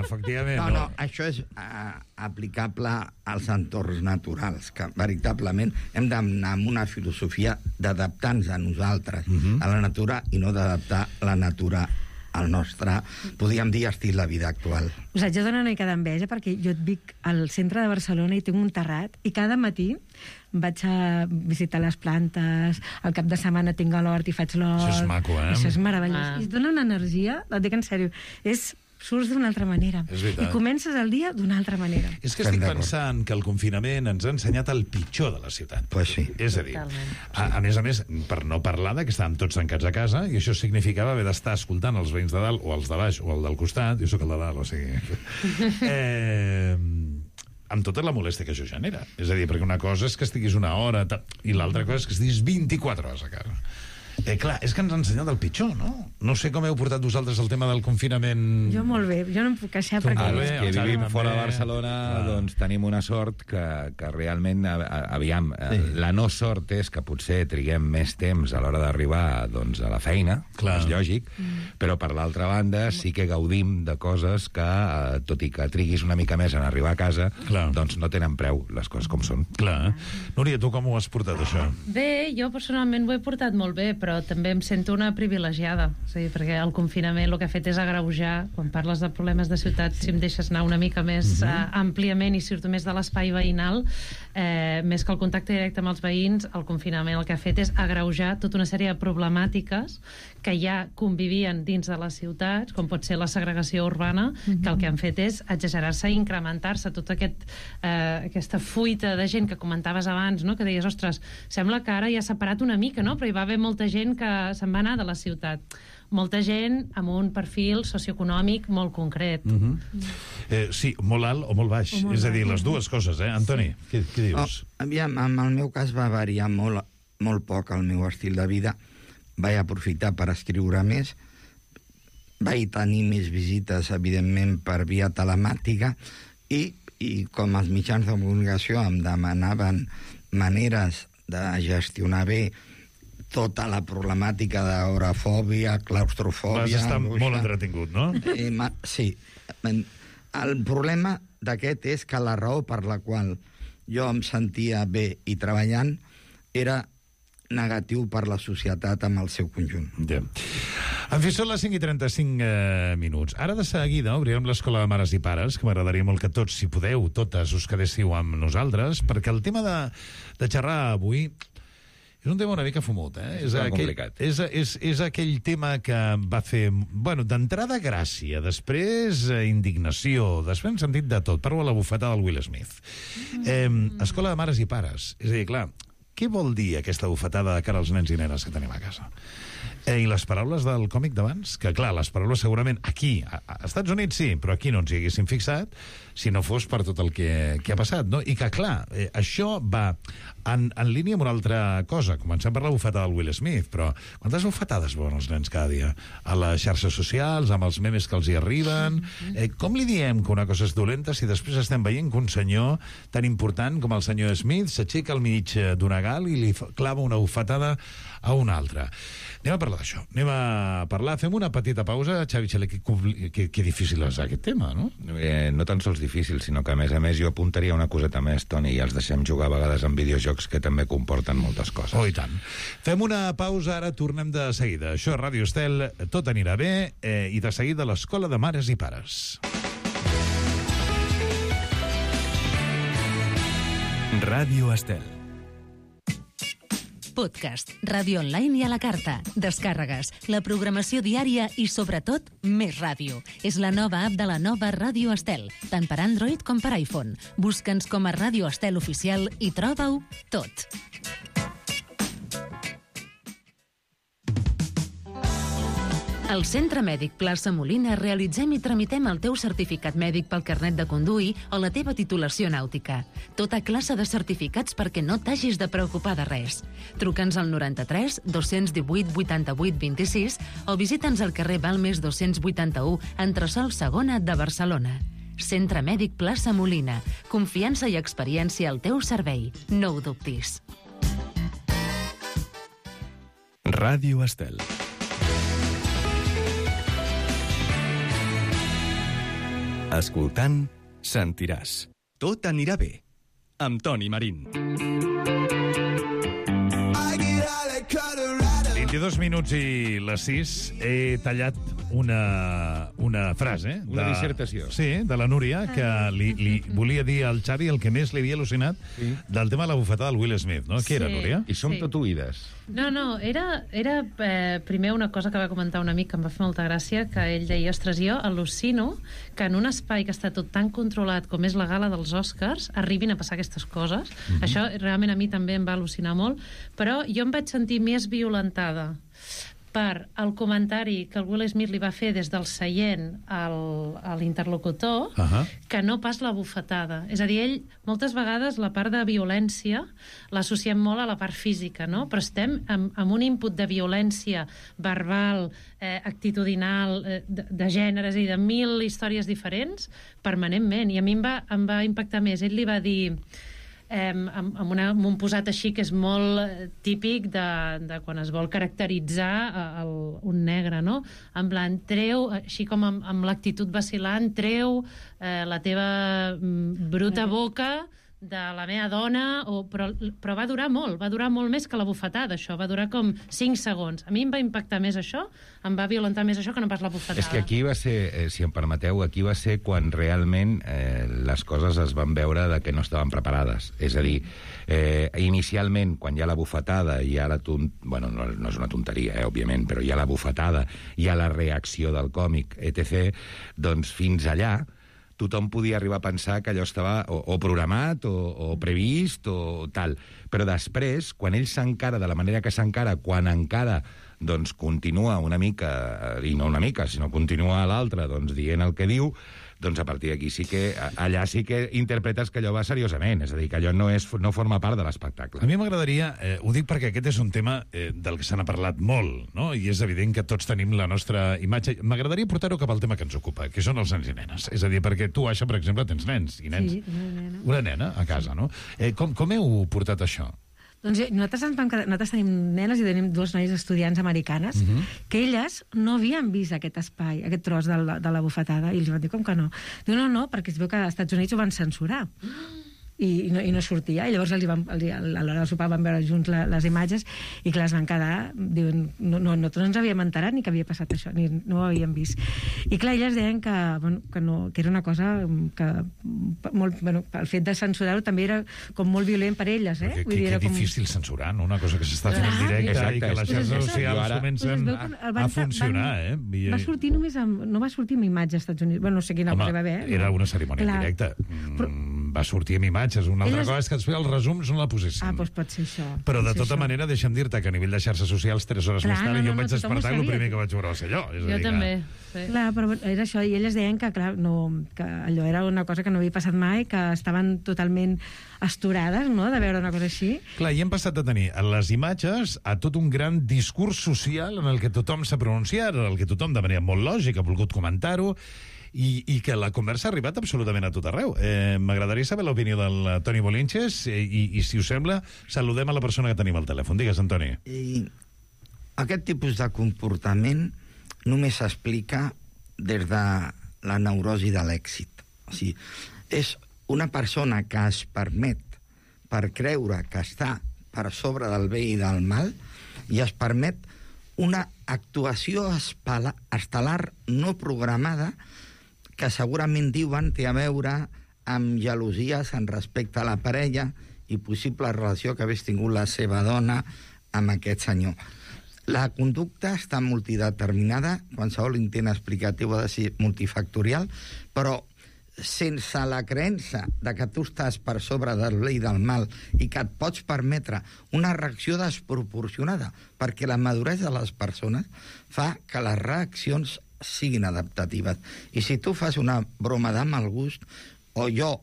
Efectivament. No, això és aplicable als entorns naturals, que veritablement hem d'anar amb una filosofia d'adaptar-nos a nosaltres, a la natura, i no d'adaptar la natura al nostre, podríem dir, estil de vida actual. Us haig de donar una mica d'enveja perquè jo et vic al centre de Barcelona i tinc un terrat i cada matí vaig a visitar les plantes, al cap de setmana tinc a l'hort i faig l'hort. Això és maco, Això és meravellós. I et dona una energia, et dic en sèrio, surts d'una altra manera. I comences el dia d'una altra manera. És que estic pensant que el confinament ens ha ensenyat el pitjor de la ciutat. Pues sí. És a dir, a més, per no parlar de que estàvem tots tancats a casa, i això significava haver d'estar escoltant els veïns de dalt, o els de baix, o el del costat, jo sóc el de dalt, o sigui... amb tota la molèstia que això genera. És a dir, perquè una cosa és que estiguis una hora, i l'altra cosa és que estiguis 24 hores a casa. Clar, és que ens ha ensenyat el pitjor, no? No sé com heu portat vosaltres el tema del confinament. Jo molt bé, jo no em puc queixar perquè... Els que vivim fora de Barcelona, doncs tenim una sort que realment, aviam, la no sort és que potser triguem més temps a l'hora d'arribar doncs, a la feina, és lògic, però per l'altra banda sí que gaudim de coses que, tot i que triguis una mica més en arribar a casa, doncs no tenen preu, les coses com són. Clar. Núria, tu com ho has portat, això? Bé, jo personalment ho he portat molt bé, però també em sento una privilegiada. Sí, perquè el confinament el que ha fet és agreujar, quan parles de problemes de ciutat, si em deixes anar una mica més àmpliament i surto més de l'espai veïnal, més que el contacte directe amb els veïns, el confinament el que ha fet és agreujar tota una sèrie de problemàtiques que ja convivien dins de les ciutats, com pot ser la segregació urbana, que el que han fet és exagerar-se i incrementar-se tota aquesta fuita de gent que comentaves abans, no? Que deies, ostres, sembla que ara ja s'ha parat una mica, no? Però hi va haver molta gent que se'n va anar de la ciutat. Molta gent amb un perfil socioeconòmic molt concret. Sí, molt alt o molt baix. És a dir, les dues coses, Antoni? Què dius? Aviam, en el meu cas va variar molt poc el meu estil de vida. Vaig aprofitar per escriure més. Vaig tenir més visites, evidentment, per via telemàtica i com els mitjans de comunicació em demanaven maneres de gestionar bé tota la problemàtica d'agorafòbia, claustrofòbia... Vas estar molt entretingut, no? Sí. El problema d'aquest és que la raó per la qual jo em sentia bé i treballant era negatiu per la societat amb el seu conjunt. En fi, són les 5:35 minuts. Ara de seguida obrirem l'Escola de Mares i Pares, que m'agradaria molt que tots, si podeu, totes us quedéssiu amb nosaltres, perquè el tema de xerrar avui és un tema una mica fumut, És complicat. És aquell tema que va fer, bueno, d'entrada gràcia, després indignació, després en sentit de tot. Parlo de la bufetada del Will Smith. Escola de Mares i Pares. És a dir, clar, què vol dir aquesta bufetada de cara als nens i nenes que tenim a casa? I les paraules del còmic d'abans, que clar, les paraules segurament aquí, als Estats Units sí, però aquí no ens hi haguéssim fixat si no fos per tot el que ha passat, no? I que clar, això va en línia amb una altra cosa. Comencem per la bufetada del Will Smith, però quantes bufetades veuen els nens cada dia? A les xarxes socials, amb els memes que els hi arriben... Com li diem que una cosa és dolenta si després estem veient que un senyor tan important com el senyor Smith s'aixeca al mig d'una gal i li clava una bufetada a una altra? Anem a parlar d'això. Anem a parlar. Fem una petita pausa. Xavi Xaler, que difícil és aquest tema, no? No tan sols difícil, sinó que, a més, jo apuntaria una coseta més, Toni, i els deixem jugar a vegades en videojocs que també comporten moltes coses. Oh, i tant. Fem una pausa, ara tornem de seguida. Això és Ràdio Estel, tot anirà bé, i de seguida l'Escola de Mares i Pares. Ràdio Estel. Podcast, ràdio online i a la carta, descàrregues, la programació diària i, sobretot, més ràdio. És la nova app de la nova Ràdio Estel, tant per Android com per iPhone. Busca'ns com a Ràdio Estel Oficial i troba-ho tot. Al Centre Mèdic Plaça Molina realitzem i tramitem el teu certificat mèdic pel carnet de conduir o la teva titulació nàutica. Tota classe de certificats perquè no t'hagis de preocupar de res. Truca'ns al 93 218 88 26 o visita'ns al carrer Balmes 281, entresòl Segona de Barcelona. Centre Mèdic Plaça Molina. Confiança i experiència al teu servei. No ho dubtis. Ràdio Estel. Escoltant, sentiràs. Tot anirà bé. Amb Toni Marín. 22 minuts i les 6. He tallat una frase. Una dissertació. Sí, de la Núria, que li volia dir al Xavi el que més li havia al·lucinat del tema de la bufetada del Will Smith, no? Què era, Núria? I som tot oïdes. No, era primer una cosa que va comentar un amic que em va fer molta gràcia, que ell deia, ostres, jo al·lucino que en un espai que està tot tan controlat com és la gala dels Oscars arribin a passar aquestes coses. Això realment a mi també em va al·lucinar molt, però jo em vaig sentir més violentada per el comentari que el Will Smith li va fer des del seient a l'interlocutor, que no pas la bufetada. És a dir, ell, moltes vegades, la part de violència l'associem molt a la part física, no? Però estem amb un input de violència verbal, actitudinal, de gèneres i de 1000 històries diferents, permanentment. I a mi em va impactar més. Ell li va dir... amb un posat així que és molt típic de quan es vol caracteritzar un negre, no? En plan, treu, així com amb l'actitud vacil·lant, treu la teva bruta boca de la meva dona, però va durar molt més que la bufetada, això, va durar com 5 segons. A mi em va impactar més això, em va violentar més això que no pas la bufetada. És que aquí va ser, si em permeteu, aquí va ser quan realment les coses es van veure de que no estaven preparades. És a dir, inicialment, quan hi ha la bufetada, hi ha bueno, no és una tonteria, òbviament, però hi ha la bufetada, hi ha la reacció del còmic, etc., doncs fins allà tothom podia arribar a pensar que allò estava o programat o previst o tal. Però després, quan ell s'encara de la manera que s'encara, quan encara doncs continua una mica, i no una mica, sinó continua l'altre doncs, dient el que diu, doncs a partir d'aquí sí que, allà sí que interpretes que allò va seriosament, és a dir, que allò no forma part de l'espectacle. A mi m'agradaria, ho dic perquè aquest és un tema del que se n'ha parlat molt, no? I és evident que tots tenim la nostra imatge. M'agradaria portar-ho cap al tema que ens ocupa, que són els nens i nenes. És a dir, perquè tu, Aixa, per exemple, tens nens i nens. Sí, una nena. Una nena a casa, no? Com heu portat això? Doncs nosaltres tenim nenes i tenim 2 noies estudiants americanes que elles no havien vist aquest espai, aquest tros de la bufetada, i els van dir, com que no? Diu, no, perquè es veu que als Estats Units ho van censurar. I no sortia, i llavors a l'hora del sopar van veure junts les imatges i clar, es van quedar, diuen, nosaltres no ens havíem enterat ni que havia passat això, ni no ho havíem vist. I clar, elles deien que era una cosa que el fet de censurar-ho també era com molt violent per elles, Que difícil censurar, no? Una cosa que s'està fent en directe i que les xarxes socials comencen a funcionar, Va sortir només no va sortir amb imatge als Estats Units, no sé quina cosa va haver. Era una cerimònia en directe. Va sortir amb imatges. Una altra cosa és que després els resums no la posessin. Doncs pot ser això. Però de tota manera, deixa'm dir-te que a nivell de xarxes socials, 3 hores més tard, jo em vaig despertar i el primer que vaig veure va ser allò. Jo també. Clar, però era això, i elles deien que, clar, que allò era una cosa que no havia passat mai, que estaven totalment astorades, no?, de veure una cosa així. Clar, i hem passat de tenir a les imatges a tot un gran discurs social en el que tothom s'ha pronunciat, en el que tothom de manera molt lògica ha volgut comentar-ho, i que la conversa ha arribat absolutament a tot arreu. M'agradaria saber l'opinió del Toni Bolinches i, si us sembla, saludem a la persona que tenim al telèfon. Digues, Antoni. Aquest tipus de comportament només s'explica des de la neurosi de l'èxit. O sigui, és una persona que es permet per creure que està per sobre del bé i del mal i es permet una actuació estel·lar no programada que segurament diuen té a veure amb gelosies en respecte a la parella i possible relació que hagués tingut la seva dona amb aquest senyor. La conducta està multideterminada, qualsevol intent explicatiu ha de ser multifactorial, però sense la creença de que tu estàs per sobre del bé i del mal i que et pots permetre una reacció desproporcionada, perquè la maduresa de les persones fa que les reaccions siguin adaptatives. I si tu fas una broma de mal gust, o jo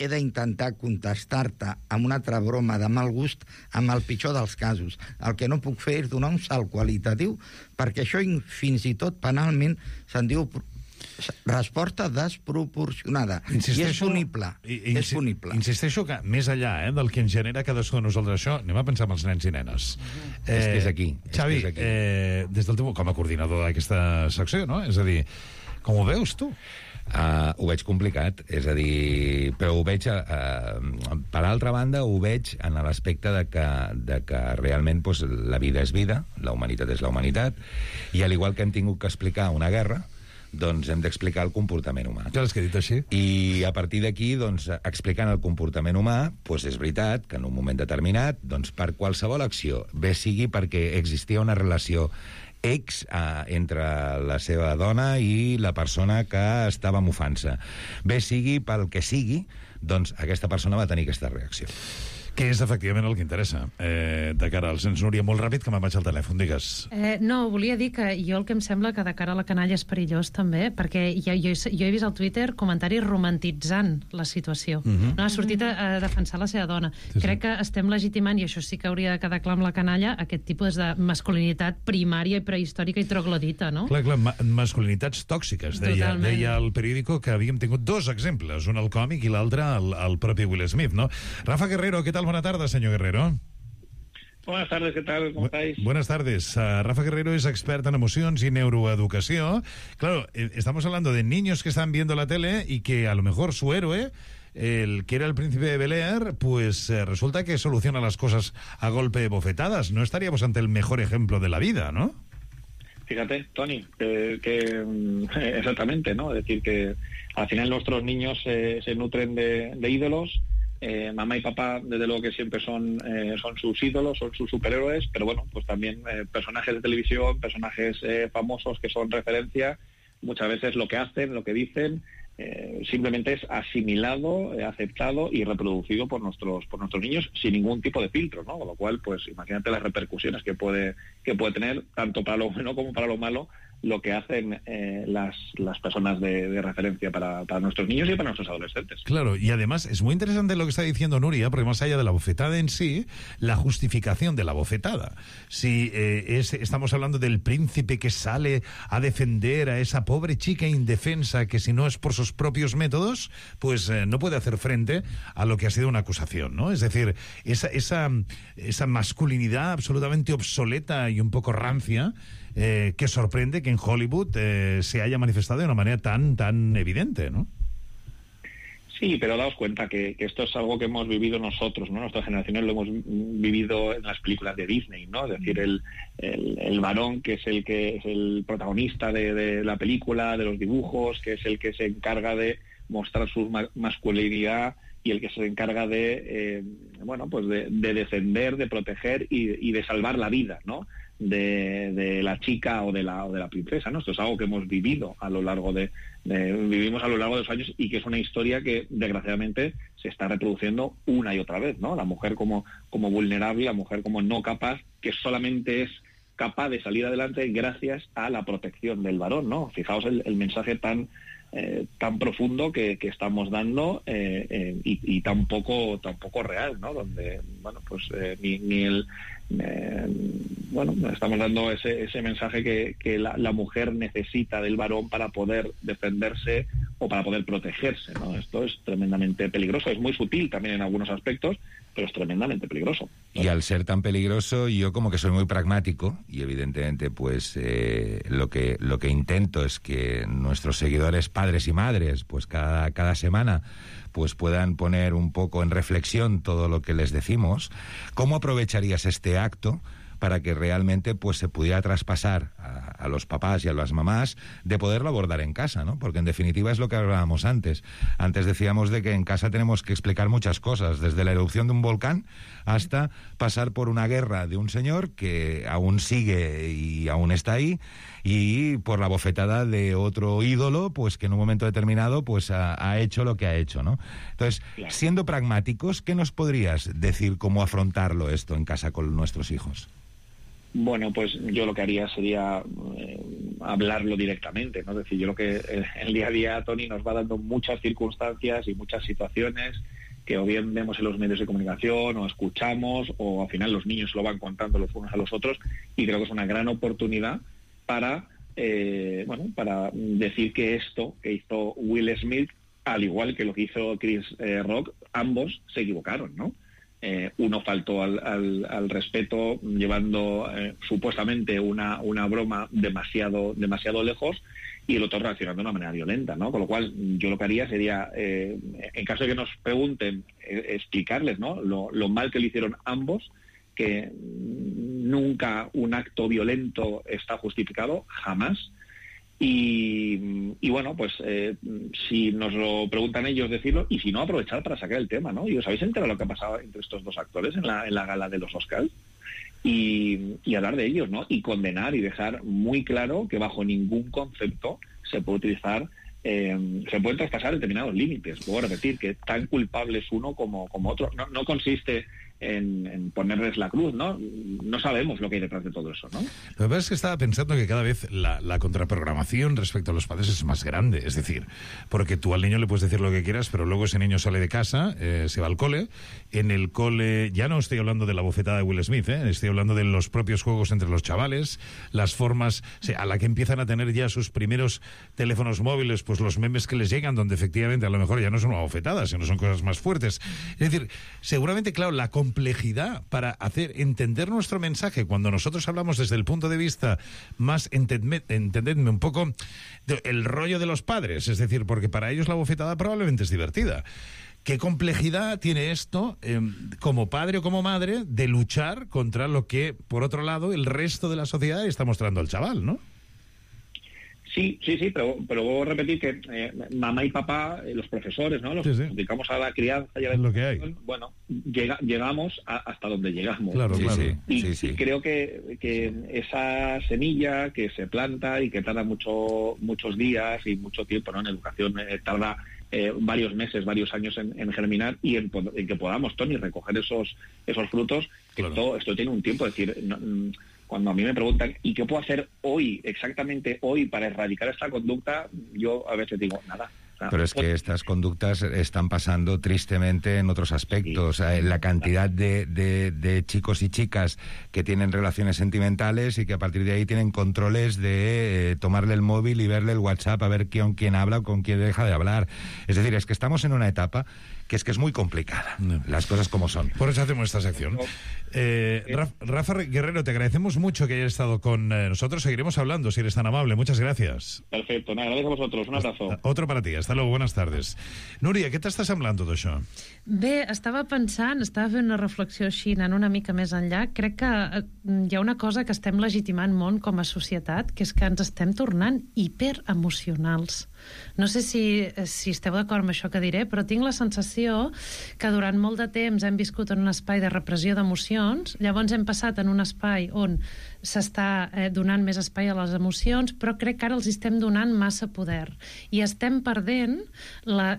he d'intentar contestar-te amb una altra broma de mal gust amb el pitjor dels casos. El que no puc fer és donar un salt qualitatiu, perquè això fins i tot penalment se'n diu resposta desproporcionada. I és punible. És punible. Insisteixo que, més enllà del que ens genera cadascú de nosaltres això, anem a pensar en els nens i nenes. És que és aquí. Xavi, des del teu, com a coordinador d'aquesta secció, no? És a dir, com ho veus tu? Ho veig complicat, és a dir, però ho veig, per altra banda, ho veig en l'aspecte de que realment doncs, la vida és vida, la humanitat és la humanitat, i al igual que hem tingut que explicar una guerra, doncs hem d'explicar el comportament humà. Ja l'has dit així. I a partir d'aquí, doncs, explicant el comportament humà, doncs és veritat que en un moment determinat, doncs, per qualsevol acció, bé sigui perquè existia una relació entre la seva dona i la persona que estava mofant-se, bé sigui pel que sigui, doncs aquesta persona va tenir aquesta reacció. Que és efectivament el que interessa. De cara al cens, Núria, molt ràpid, que me'n vaig al telèfon, digues. No, volia dir que jo el que em sembla que de cara a la canalla és perillós també, perquè jo he vist al Twitter comentaris romantitzant la situació. No ha sortit a defensar la seva dona. Crec que estem legitimant, i això sí que hauria de quedar clar amb la canalla, aquest tipus de masculinitat primària i prehistòrica i troglodita, no? Clar, masculinitats tòxiques. Deia el periòdico que havíem tingut dos exemples, un al còmic i l'altre al propi Will Smith, ¿no? Rafa Guerrero, ¿qué tal? Buenas tardes, señor Guerrero. Buenas tardes, ¿qué tal? ¿Cómo estáis? Buenas tardes. Rafa Guerrero es experta en emociones y neuroeducación. Claro, estamos hablando de niños que están viendo la tele y que a lo mejor su héroe, el que era el príncipe de Bel-Air, pues resulta que soluciona las cosas a golpe de bofetadas. No estaríamos ante el mejor ejemplo de la vida, ¿no? Fíjate, Tony, que exactamente, ¿no? Es decir, que al final nuestros niños se nutren de ídolos. Mamá y papá, desde luego que siempre son sus ídolos, son sus superhéroes, pero bueno, pues también personajes de televisión, personajes famosos que son referencia, muchas veces lo que hacen, lo que dicen, simplemente es asimilado, aceptado y reproducido por nuestros niños sin ningún tipo de filtro, ¿no? Con lo cual, pues imagínate las repercusiones que puede tener, tanto para lo bueno como para lo malo, lo que hacen las personas de referencia para nuestros niños y para nuestros adolescentes. Claro, y además es muy interesante lo que está diciendo Núria, porque más allá de la bofetada en sí, la justificación de la bofetada. Si estamos hablando del príncipe que sale a defender a esa pobre chica indefensa que si no es por sus propios métodos, pues no puede hacer frente a lo que ha sido una acusación, ¿no? Es decir, esa masculinidad absolutamente obsoleta y un poco rancia, que sorprende que en Hollywood se haya manifestado de una manera tan evidente, ¿no? Sí, pero daos cuenta que esto es algo que hemos vivido nosotros, ¿no? Nuestras generaciones lo hemos vivido en las películas de Disney, ¿no? Es decir, el varón que es el protagonista de la película, de los dibujos, que es el que se encarga de mostrar su masculinidad y el que se encarga de defender, de proteger y de salvar la vida, ¿no? De la chica o de la princesa, ¿no? Esto es algo que hemos vivido a lo largo vivimos a lo largo de los años y que es una historia que desgraciadamente se está reproduciendo una y otra vez, ¿no? La mujer como vulnerable, la mujer como no capaz, que solamente es capaz de salir adelante gracias a la protección del varón, ¿no? Fijaos el mensaje tan profundo que estamos dando y tan poco real, ¿no? Donde estamos dando ese mensaje que la mujer necesita del varón para poder defenderse o para poder protegerse, ¿no? Esto es tremendamente peligroso, es muy sutil también en algunos aspectos, pero es tremendamente peligroso. Y al ser tan peligroso, yo como que soy muy pragmático y evidentemente pues lo que intento es que nuestros seguidores, padres y madres, pues cada semana pues puedan poner un poco en reflexión todo lo que les decimos. ¿Cómo aprovecharías este acto para que realmente pues se pudiera traspasar a los papás y a las mamás de poderlo abordar en casa, ¿no? Porque en definitiva es lo que hablábamos antes. Antes decíamos de que en casa tenemos que explicar muchas cosas, desde la erupción de un volcán hasta pasar por una guerra de un señor que aún sigue y aún está ahí, y por la bofetada de otro ídolo, pues que en un momento determinado pues ha hecho lo que ha hecho, ¿no? Entonces, siendo pragmáticos, ¿qué nos podrías decir cómo afrontarlo esto en casa con nuestros hijos? Bueno, pues yo lo que haría sería hablarlo directamente, ¿no? Es decir, yo lo que el día a día, Tony, nos va dando muchas circunstancias y muchas situaciones que o bien vemos en los medios de comunicación o escuchamos, o al final los niños lo van contando los unos a los otros, y creo que es una gran oportunidad para decir que esto que hizo Will Smith, al igual que lo que hizo Chris Rock, ambos se equivocaron, ¿no? Uno faltó al respeto llevando supuestamente una broma demasiado lejos, y el otro reaccionando de una manera violenta, ¿no? Con lo cual yo lo que haría sería, en caso de que nos pregunten, explicarles, ¿no? Lo mal que le hicieron ambos, que nunca un acto violento está justificado, jamás. Y bueno, pues si nos lo preguntan ellos, decirlo, y si no, aprovechar para sacar el tema, ¿no? ¿Y os habéis enterado lo que ha pasado entre estos dos actores en la gala de los Oscars? Y hablar de ellos, ¿no? Y condenar y dejar muy claro que bajo ningún concepto se puede utilizar, se pueden traspasar determinados límites. Puedo repetir que tan culpable es uno como otro. No consiste en ponerles la cruz, ¿no? No sabemos lo que hay detrás de todo eso, ¿no? Lo que pasa es que estaba pensando que cada vez la contraprogramación respecto a los padres es más grande, es decir, porque tú al niño le puedes decir lo que quieras, pero luego ese niño sale de casa, se va al cole, en el cole, ya no estoy hablando de la bofetada de Will Smith, estoy hablando de los propios juegos entre los chavales, las formas, a la que empiezan a tener ya sus primeros teléfonos móviles, pues los memes que les llegan, donde efectivamente a lo mejor ya no son una bofetada, sino son cosas más fuertes. Es decir, seguramente, claro, la complejidad para hacer entender nuestro mensaje, cuando nosotros hablamos desde el punto de vista más, entendedme un poco, el rollo de los padres, es decir, porque para ellos la bofetada probablemente es divertida. ¿Qué complejidad tiene esto, como padre o como madre, de luchar contra lo que, por otro lado, el resto de la sociedad está mostrando al chaval, ¿no? Sí, pero luego repetir que mamá y papá, los profesores, ¿no? Los que nos dedicamos a la crianza y a la educación, bueno, llegamos hasta donde llegamos. Claro. Y creo que esa semilla que se planta y que tarda muchos días y mucho tiempo, ¿no? En educación tarda varios meses, varios años en germinar y en que podamos, Toni, recoger esos frutos. Claro. Esto tiene un tiempo, es decir, cuando a mí me preguntan ¿y qué puedo hacer hoy, exactamente hoy, para erradicar esta conducta? Yo a veces digo, nada. Pero es que estas conductas están pasando tristemente en otros aspectos. Sí. La cantidad de chicos y chicas que tienen relaciones sentimentales y que a partir de ahí tienen controles de tomarle el móvil y verle el WhatsApp a ver con quién habla o con quién deja de hablar. Es decir, es que estamos en una etapa que es muy complicada, las cosas como son. Por eso hacemos esta sección. Rafa Guerrero, te agradecemos mucho que hayas estado con nosotros. Seguiremos hablando, si eres tan amable. Muchas gracias. Perfecto, gracias a vosotros. Un abrazo. Otro para ti. Hasta luego, buenas tardes. Núria, què t'està semblant tot això? Bé, estava fent una reflexió així, anant una mica més enllà. Crec que hi ha una cosa que estem legitimant molt com a societat, que és que ens estem tornant hiperemocionals. No sé si esteu d'acord amb això que diré, però tinc la sensació que durant molt de temps hem viscut en un espai de repressió d'emocions, llavors hem passat en un espai on s'està donant més espai a les emocions, però crec que ara els estem donant massa poder. I estem perdent,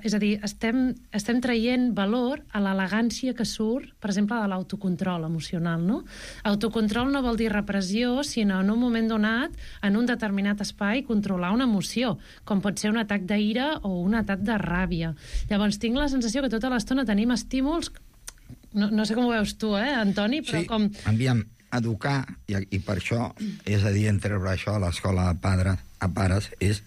és a dir, estem traient valor a l'elegància que surt, per exemple, de l'autocontrol emocional, no? Autocontrol no vol dir repressió, sinó en un moment donat, en un determinat espai, controlar una emoció, com pot ser un atac d'ira o un atac de ràbia. Llavors tinc la sensació que tota l'estona tenim estímuls, no sé com ho veus tu, Antoni, però com... Aviam, educar, i per això és adient treure això a l'escola a pares, és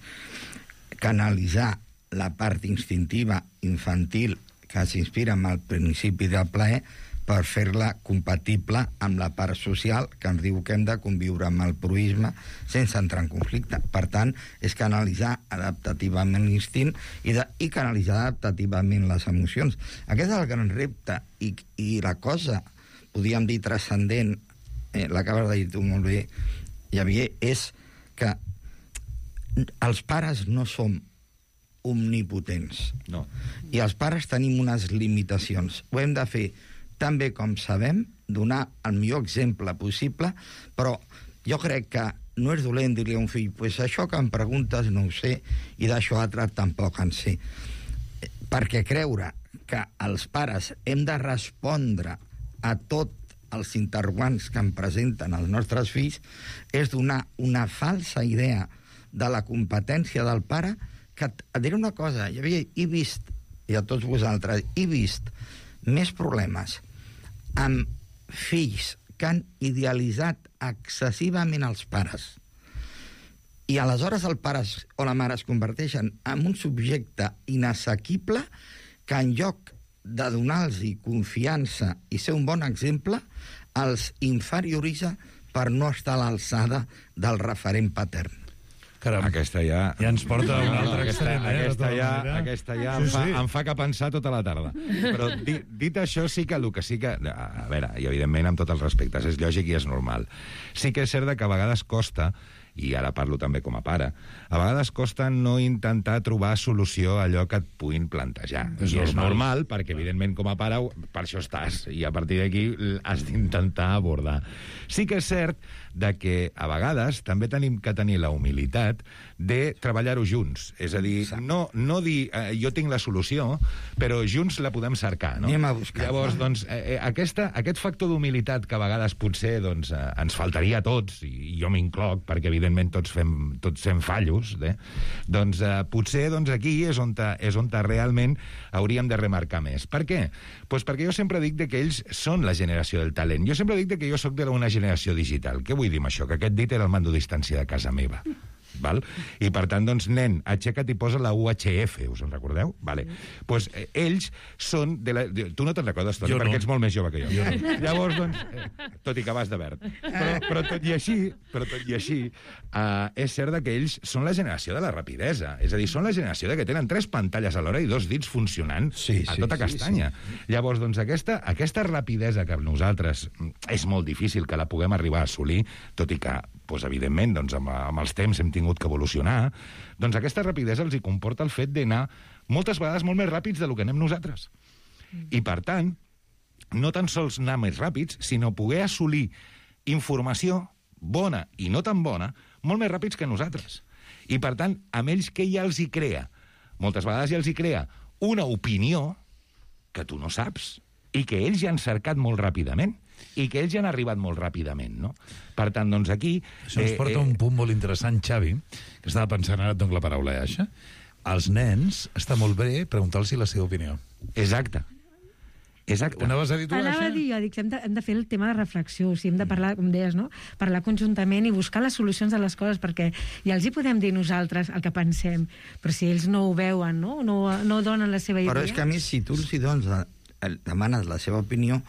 canalitzar la part instintiva infantil que s'inspira amb el principi del plaer per fer-la compatible amb la part social que ens diu que hem de conviure amb el proisme sense entrar en conflicte. Per tant, és canalitzar adaptativament l'instint i canalitzar adaptativament les emocions. Aquest és el gran repte i la cosa, podríem dir, transcendent, l'acabes de dir tu molt bé, Javier, és que els pares no som omnipotents. No. I els pares tenim unes limitacions. Ho hem de fer tan bé com sabem, donar el millor exemple possible, però jo crec que no és dolent dir-li a un fill pues això que em preguntes no ho sé i d'això altre tampoc en sé. Perquè creure que els pares hem de respondre a tots els interrogants que em presenten els nostres fills és donar una falsa idea de la competència del pare, que et diré una cosa, he vist, i a tots vosaltres, he vist més problemes amb fills que han idealitzat excessivament els pares i aleshores el pare o la mare es converteixen en un subjecte inassequible que en lloc de donar-los confiança i ser un bon exemple, els inferioritza per no estar a l'alçada del referent patern. Caram. Aquesta ja ens porta a un altre extrem, Aquesta ja em fa que pensar tota la tarda. Però dit això, sí que el que sí que... A veure, i evidentment amb tots els respectes, és lògic i és normal. Sí que és cert que a vegades costa, i ara parlo també com a pare, a vegades costa no intentar trobar solució a allò que et puguin plantejar. I és normal, perquè evidentment com a pare per això estàs, i a partir d'aquí has d'intentar abordar. Sí que és cert de que a vegades també tenim que tenir la humilitat de treballar-ho junts. És a dir, no dir jo tinc la solució, però junts la podem cercar, no? Anem a buscar. Llavors, doncs, aquest factor d'humilitat que a vegades potser ens faltaria a tots, i jo m'incloc, perquè evidentment tots fem fallos, doncs potser aquí és on realment hauríem de remarcar més. Per què? Pues perquè jo sempre dic que ells són la generació del talent. Jo sempre dic que jo sóc d'una generació digital. Què vull dir amb això? Que aquest dit era el mando a distància de casa meva. Val? I per tant, doncs, nen, aixeca't i posa la UHF, us en recordeu? Vale. Pues ells són de la... Tu no te'n recordes, Toni, perquè ets molt més jove que jo. Llavors, doncs, tot i que vas de verd. Però tot i així, és cert que ells són la generació de la rapidesa. És a dir, són la generació que tenen 3 pantalles alhora i 2 dits funcionant a tota castanya. Llavors, doncs, aquesta rapidesa que nosaltres és molt difícil que la puguem arribar a assolir, tot i que doncs, evidentment, doncs, amb els temps hem tingut que evolucionar, doncs aquesta rapidesa els hi comporta el fet d'anar moltes vegades molt més ràpids del que anem nosaltres. I, per tant, no tan sols anar més ràpids, sinó poder assolir informació bona i no tan bona molt més ràpids que nosaltres. I, per tant, amb ells què ja els hi crea? Moltes vegades ja els hi crea una opinió que tu no saps i que ells ja han cercat molt ràpidament i que ells ja han arribat molt ràpidament, no? Per tant, doncs aquí... Això ens porta un punt molt interessant, Xavi, que estava pensant ara, et dono la paraula, Aixa. Als nens està molt bé preguntar-los la seva opinió. Exacte. Anaves a dir tu, Aixa? Anava a dir, jo dic, hem de fer el tema de reflexió, o sigui, hem de parlar, com deies, no? Parlar conjuntament i buscar les solucions de les coses, perquè ja els hi podem dir nosaltres el que pensem, però si ells no ho veuen, no donen la seva idea... Però és que a mi, si tu els hi demanes la seva opinió,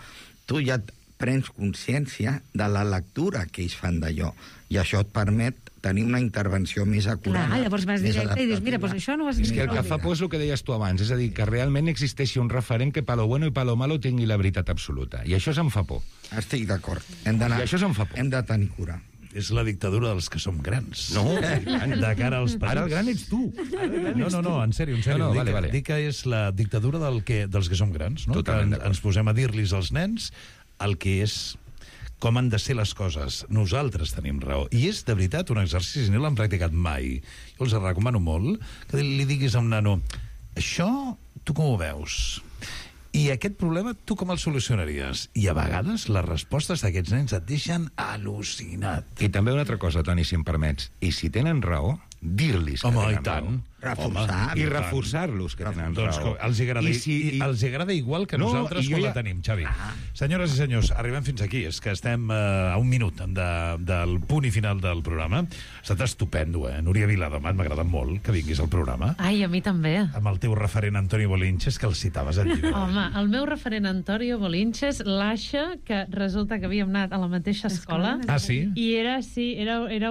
tu ja prens consciència de la lectura que ells fan d'allò, i això et permet tenir una intervenció més acurada. Clar, llavors vas directe i dius, mira, doncs això no ho has dit. És que el que fa por és el que deies tu abans, és a dir, que realment existeixi un referent que pa lo bueno i pa lo malo tingui la veritat absoluta. I això se'm fa por. Estic d'acord. I això se'm fa por. Hem de tenir cura. És la dictadura dels que som grans. No, de cara als petits. Ara el gran ets tu. No, en sèrio. Dic que és la dictadura dels que som grans, no? Que ens posem a dir-los als nens el que és, com han de ser les coses. Nosaltres tenim raó. I és, de veritat, un exercici, no l'han practicat mai. Jo els recomano molt que li diguis a un nano, això, tu com ho veus? I aquest problema, tu com el solucionaries? I a vegades les respostes d'aquests nens et deixen al·lucinat. I també una altra cosa, Toni, si em permets. I si tenen raó, dir-los que tenen raó. I reforçar-los que tenen raó. Els agrada igual que nosaltres quan la tenim, Xavi. Senyores i senyors, arribem fins aquí. És que estem a un minut del punt i final del programa. Ha estat estupendo, Núria Viladomat, m'ha agradat molt que vinguis al programa. Ai, a mi també. Amb el teu referent Antonio Bolinches, que el citaves al llibre. Home, el meu referent Antonio Bolinches, l'Aixa, que resulta que havíem anat a la mateixa escola. Ah, sí? I era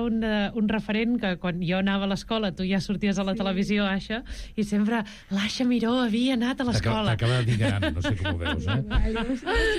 un referent que quan jo anava a l'escola, tu ja sorties a la televisió, Aixa, i sempre l'Aixa Miró havia anat a l'escola. T'acaba de dir gran, no sé com ho veus,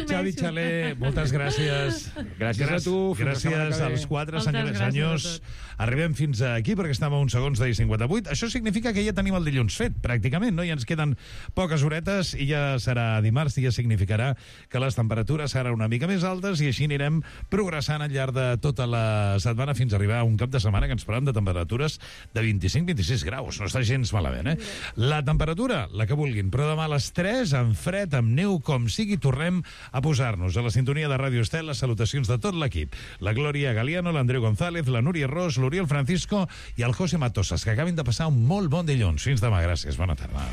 Xavi Xaler, moltes gràcies. Gràcies a tu. Gràcies als 4, senyores i senyors. Arribem fins aquí perquè estem a uns segons de 58. Això significa que ja tenim el dilluns fet, pràcticament, no? Ja ens queden poques horetes i ja serà dimarts, i ja significarà que les temperatures seran una mica més altes i així anirem progressant al llarg de tota la setmana fins a arribar a un cap de setmana que ens parlem de temperatures de 25-26 graus. No està gens malament, La temperatura, la que vulguin, però demà a les 3, amb fred, amb neu, com sigui, tornem a posar-nos a la sintonia de Ràdio Estel. Les salutacions de tot l'equip. La Glòria Galiano, l'Andreu González, la Núria Ros, l'Oriol Francisco i el José Matosas, que acabin de passar un molt bon dilluns. Fins demà, gràcies. Bona tarda.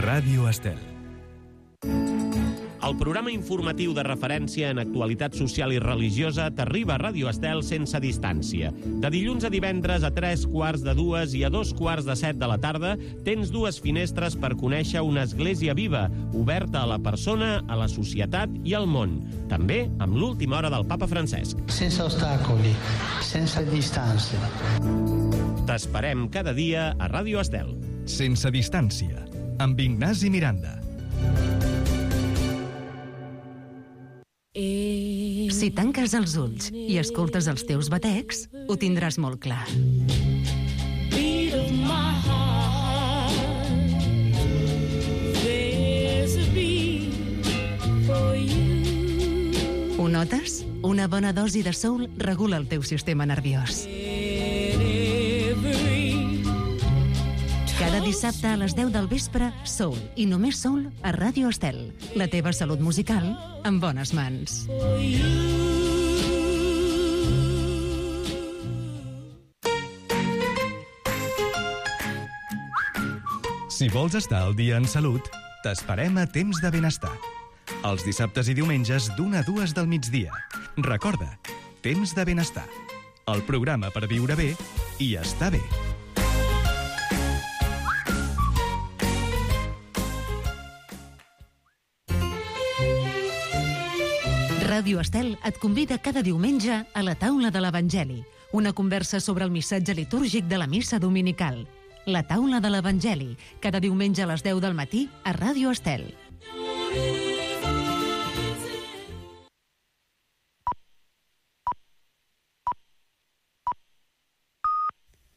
Ràdio Estel. El programa informatiu de referència en actualitat social i religiosa t'arriba a Ràdio Estel sense distància. De dilluns a divendres a 3:45 i a 2:45 de la tarda tens 2 finestres per conèixer una església viva, oberta a la persona, a la societat i al món. També amb l'última hora del papa Francesc. Sense ostacoli, sense distància. T'esperem cada dia a Ràdio Estel. Sense distància, amb Ignasi Miranda. Si tanques els ulls i escoltes els teus batecs, ho tindràs molt clar. Beat of my heart, there's a beat for you. Ho notes? Una bona dosi de soul regula el teu sistema nerviós. Cada dissabte a les 10 del vespre, soul i només soul a Ràdio Estel. La teva salut musical en bones mans. Si vols estar al dia en salut, t'esperem a Temps de Benestar. Els dissabtes i diumenges d'1 a 2 del migdia. Recorda, Temps de Benestar. El programa per viure bé i estar bé. Ràdio Estel et convida cada diumenge a la taula de l'Evangeli, una conversa sobre el missatge litúrgic de la missa dominical. La taula de l'Evangeli, cada diumenge a les 10 del matí a Ràdio Estel.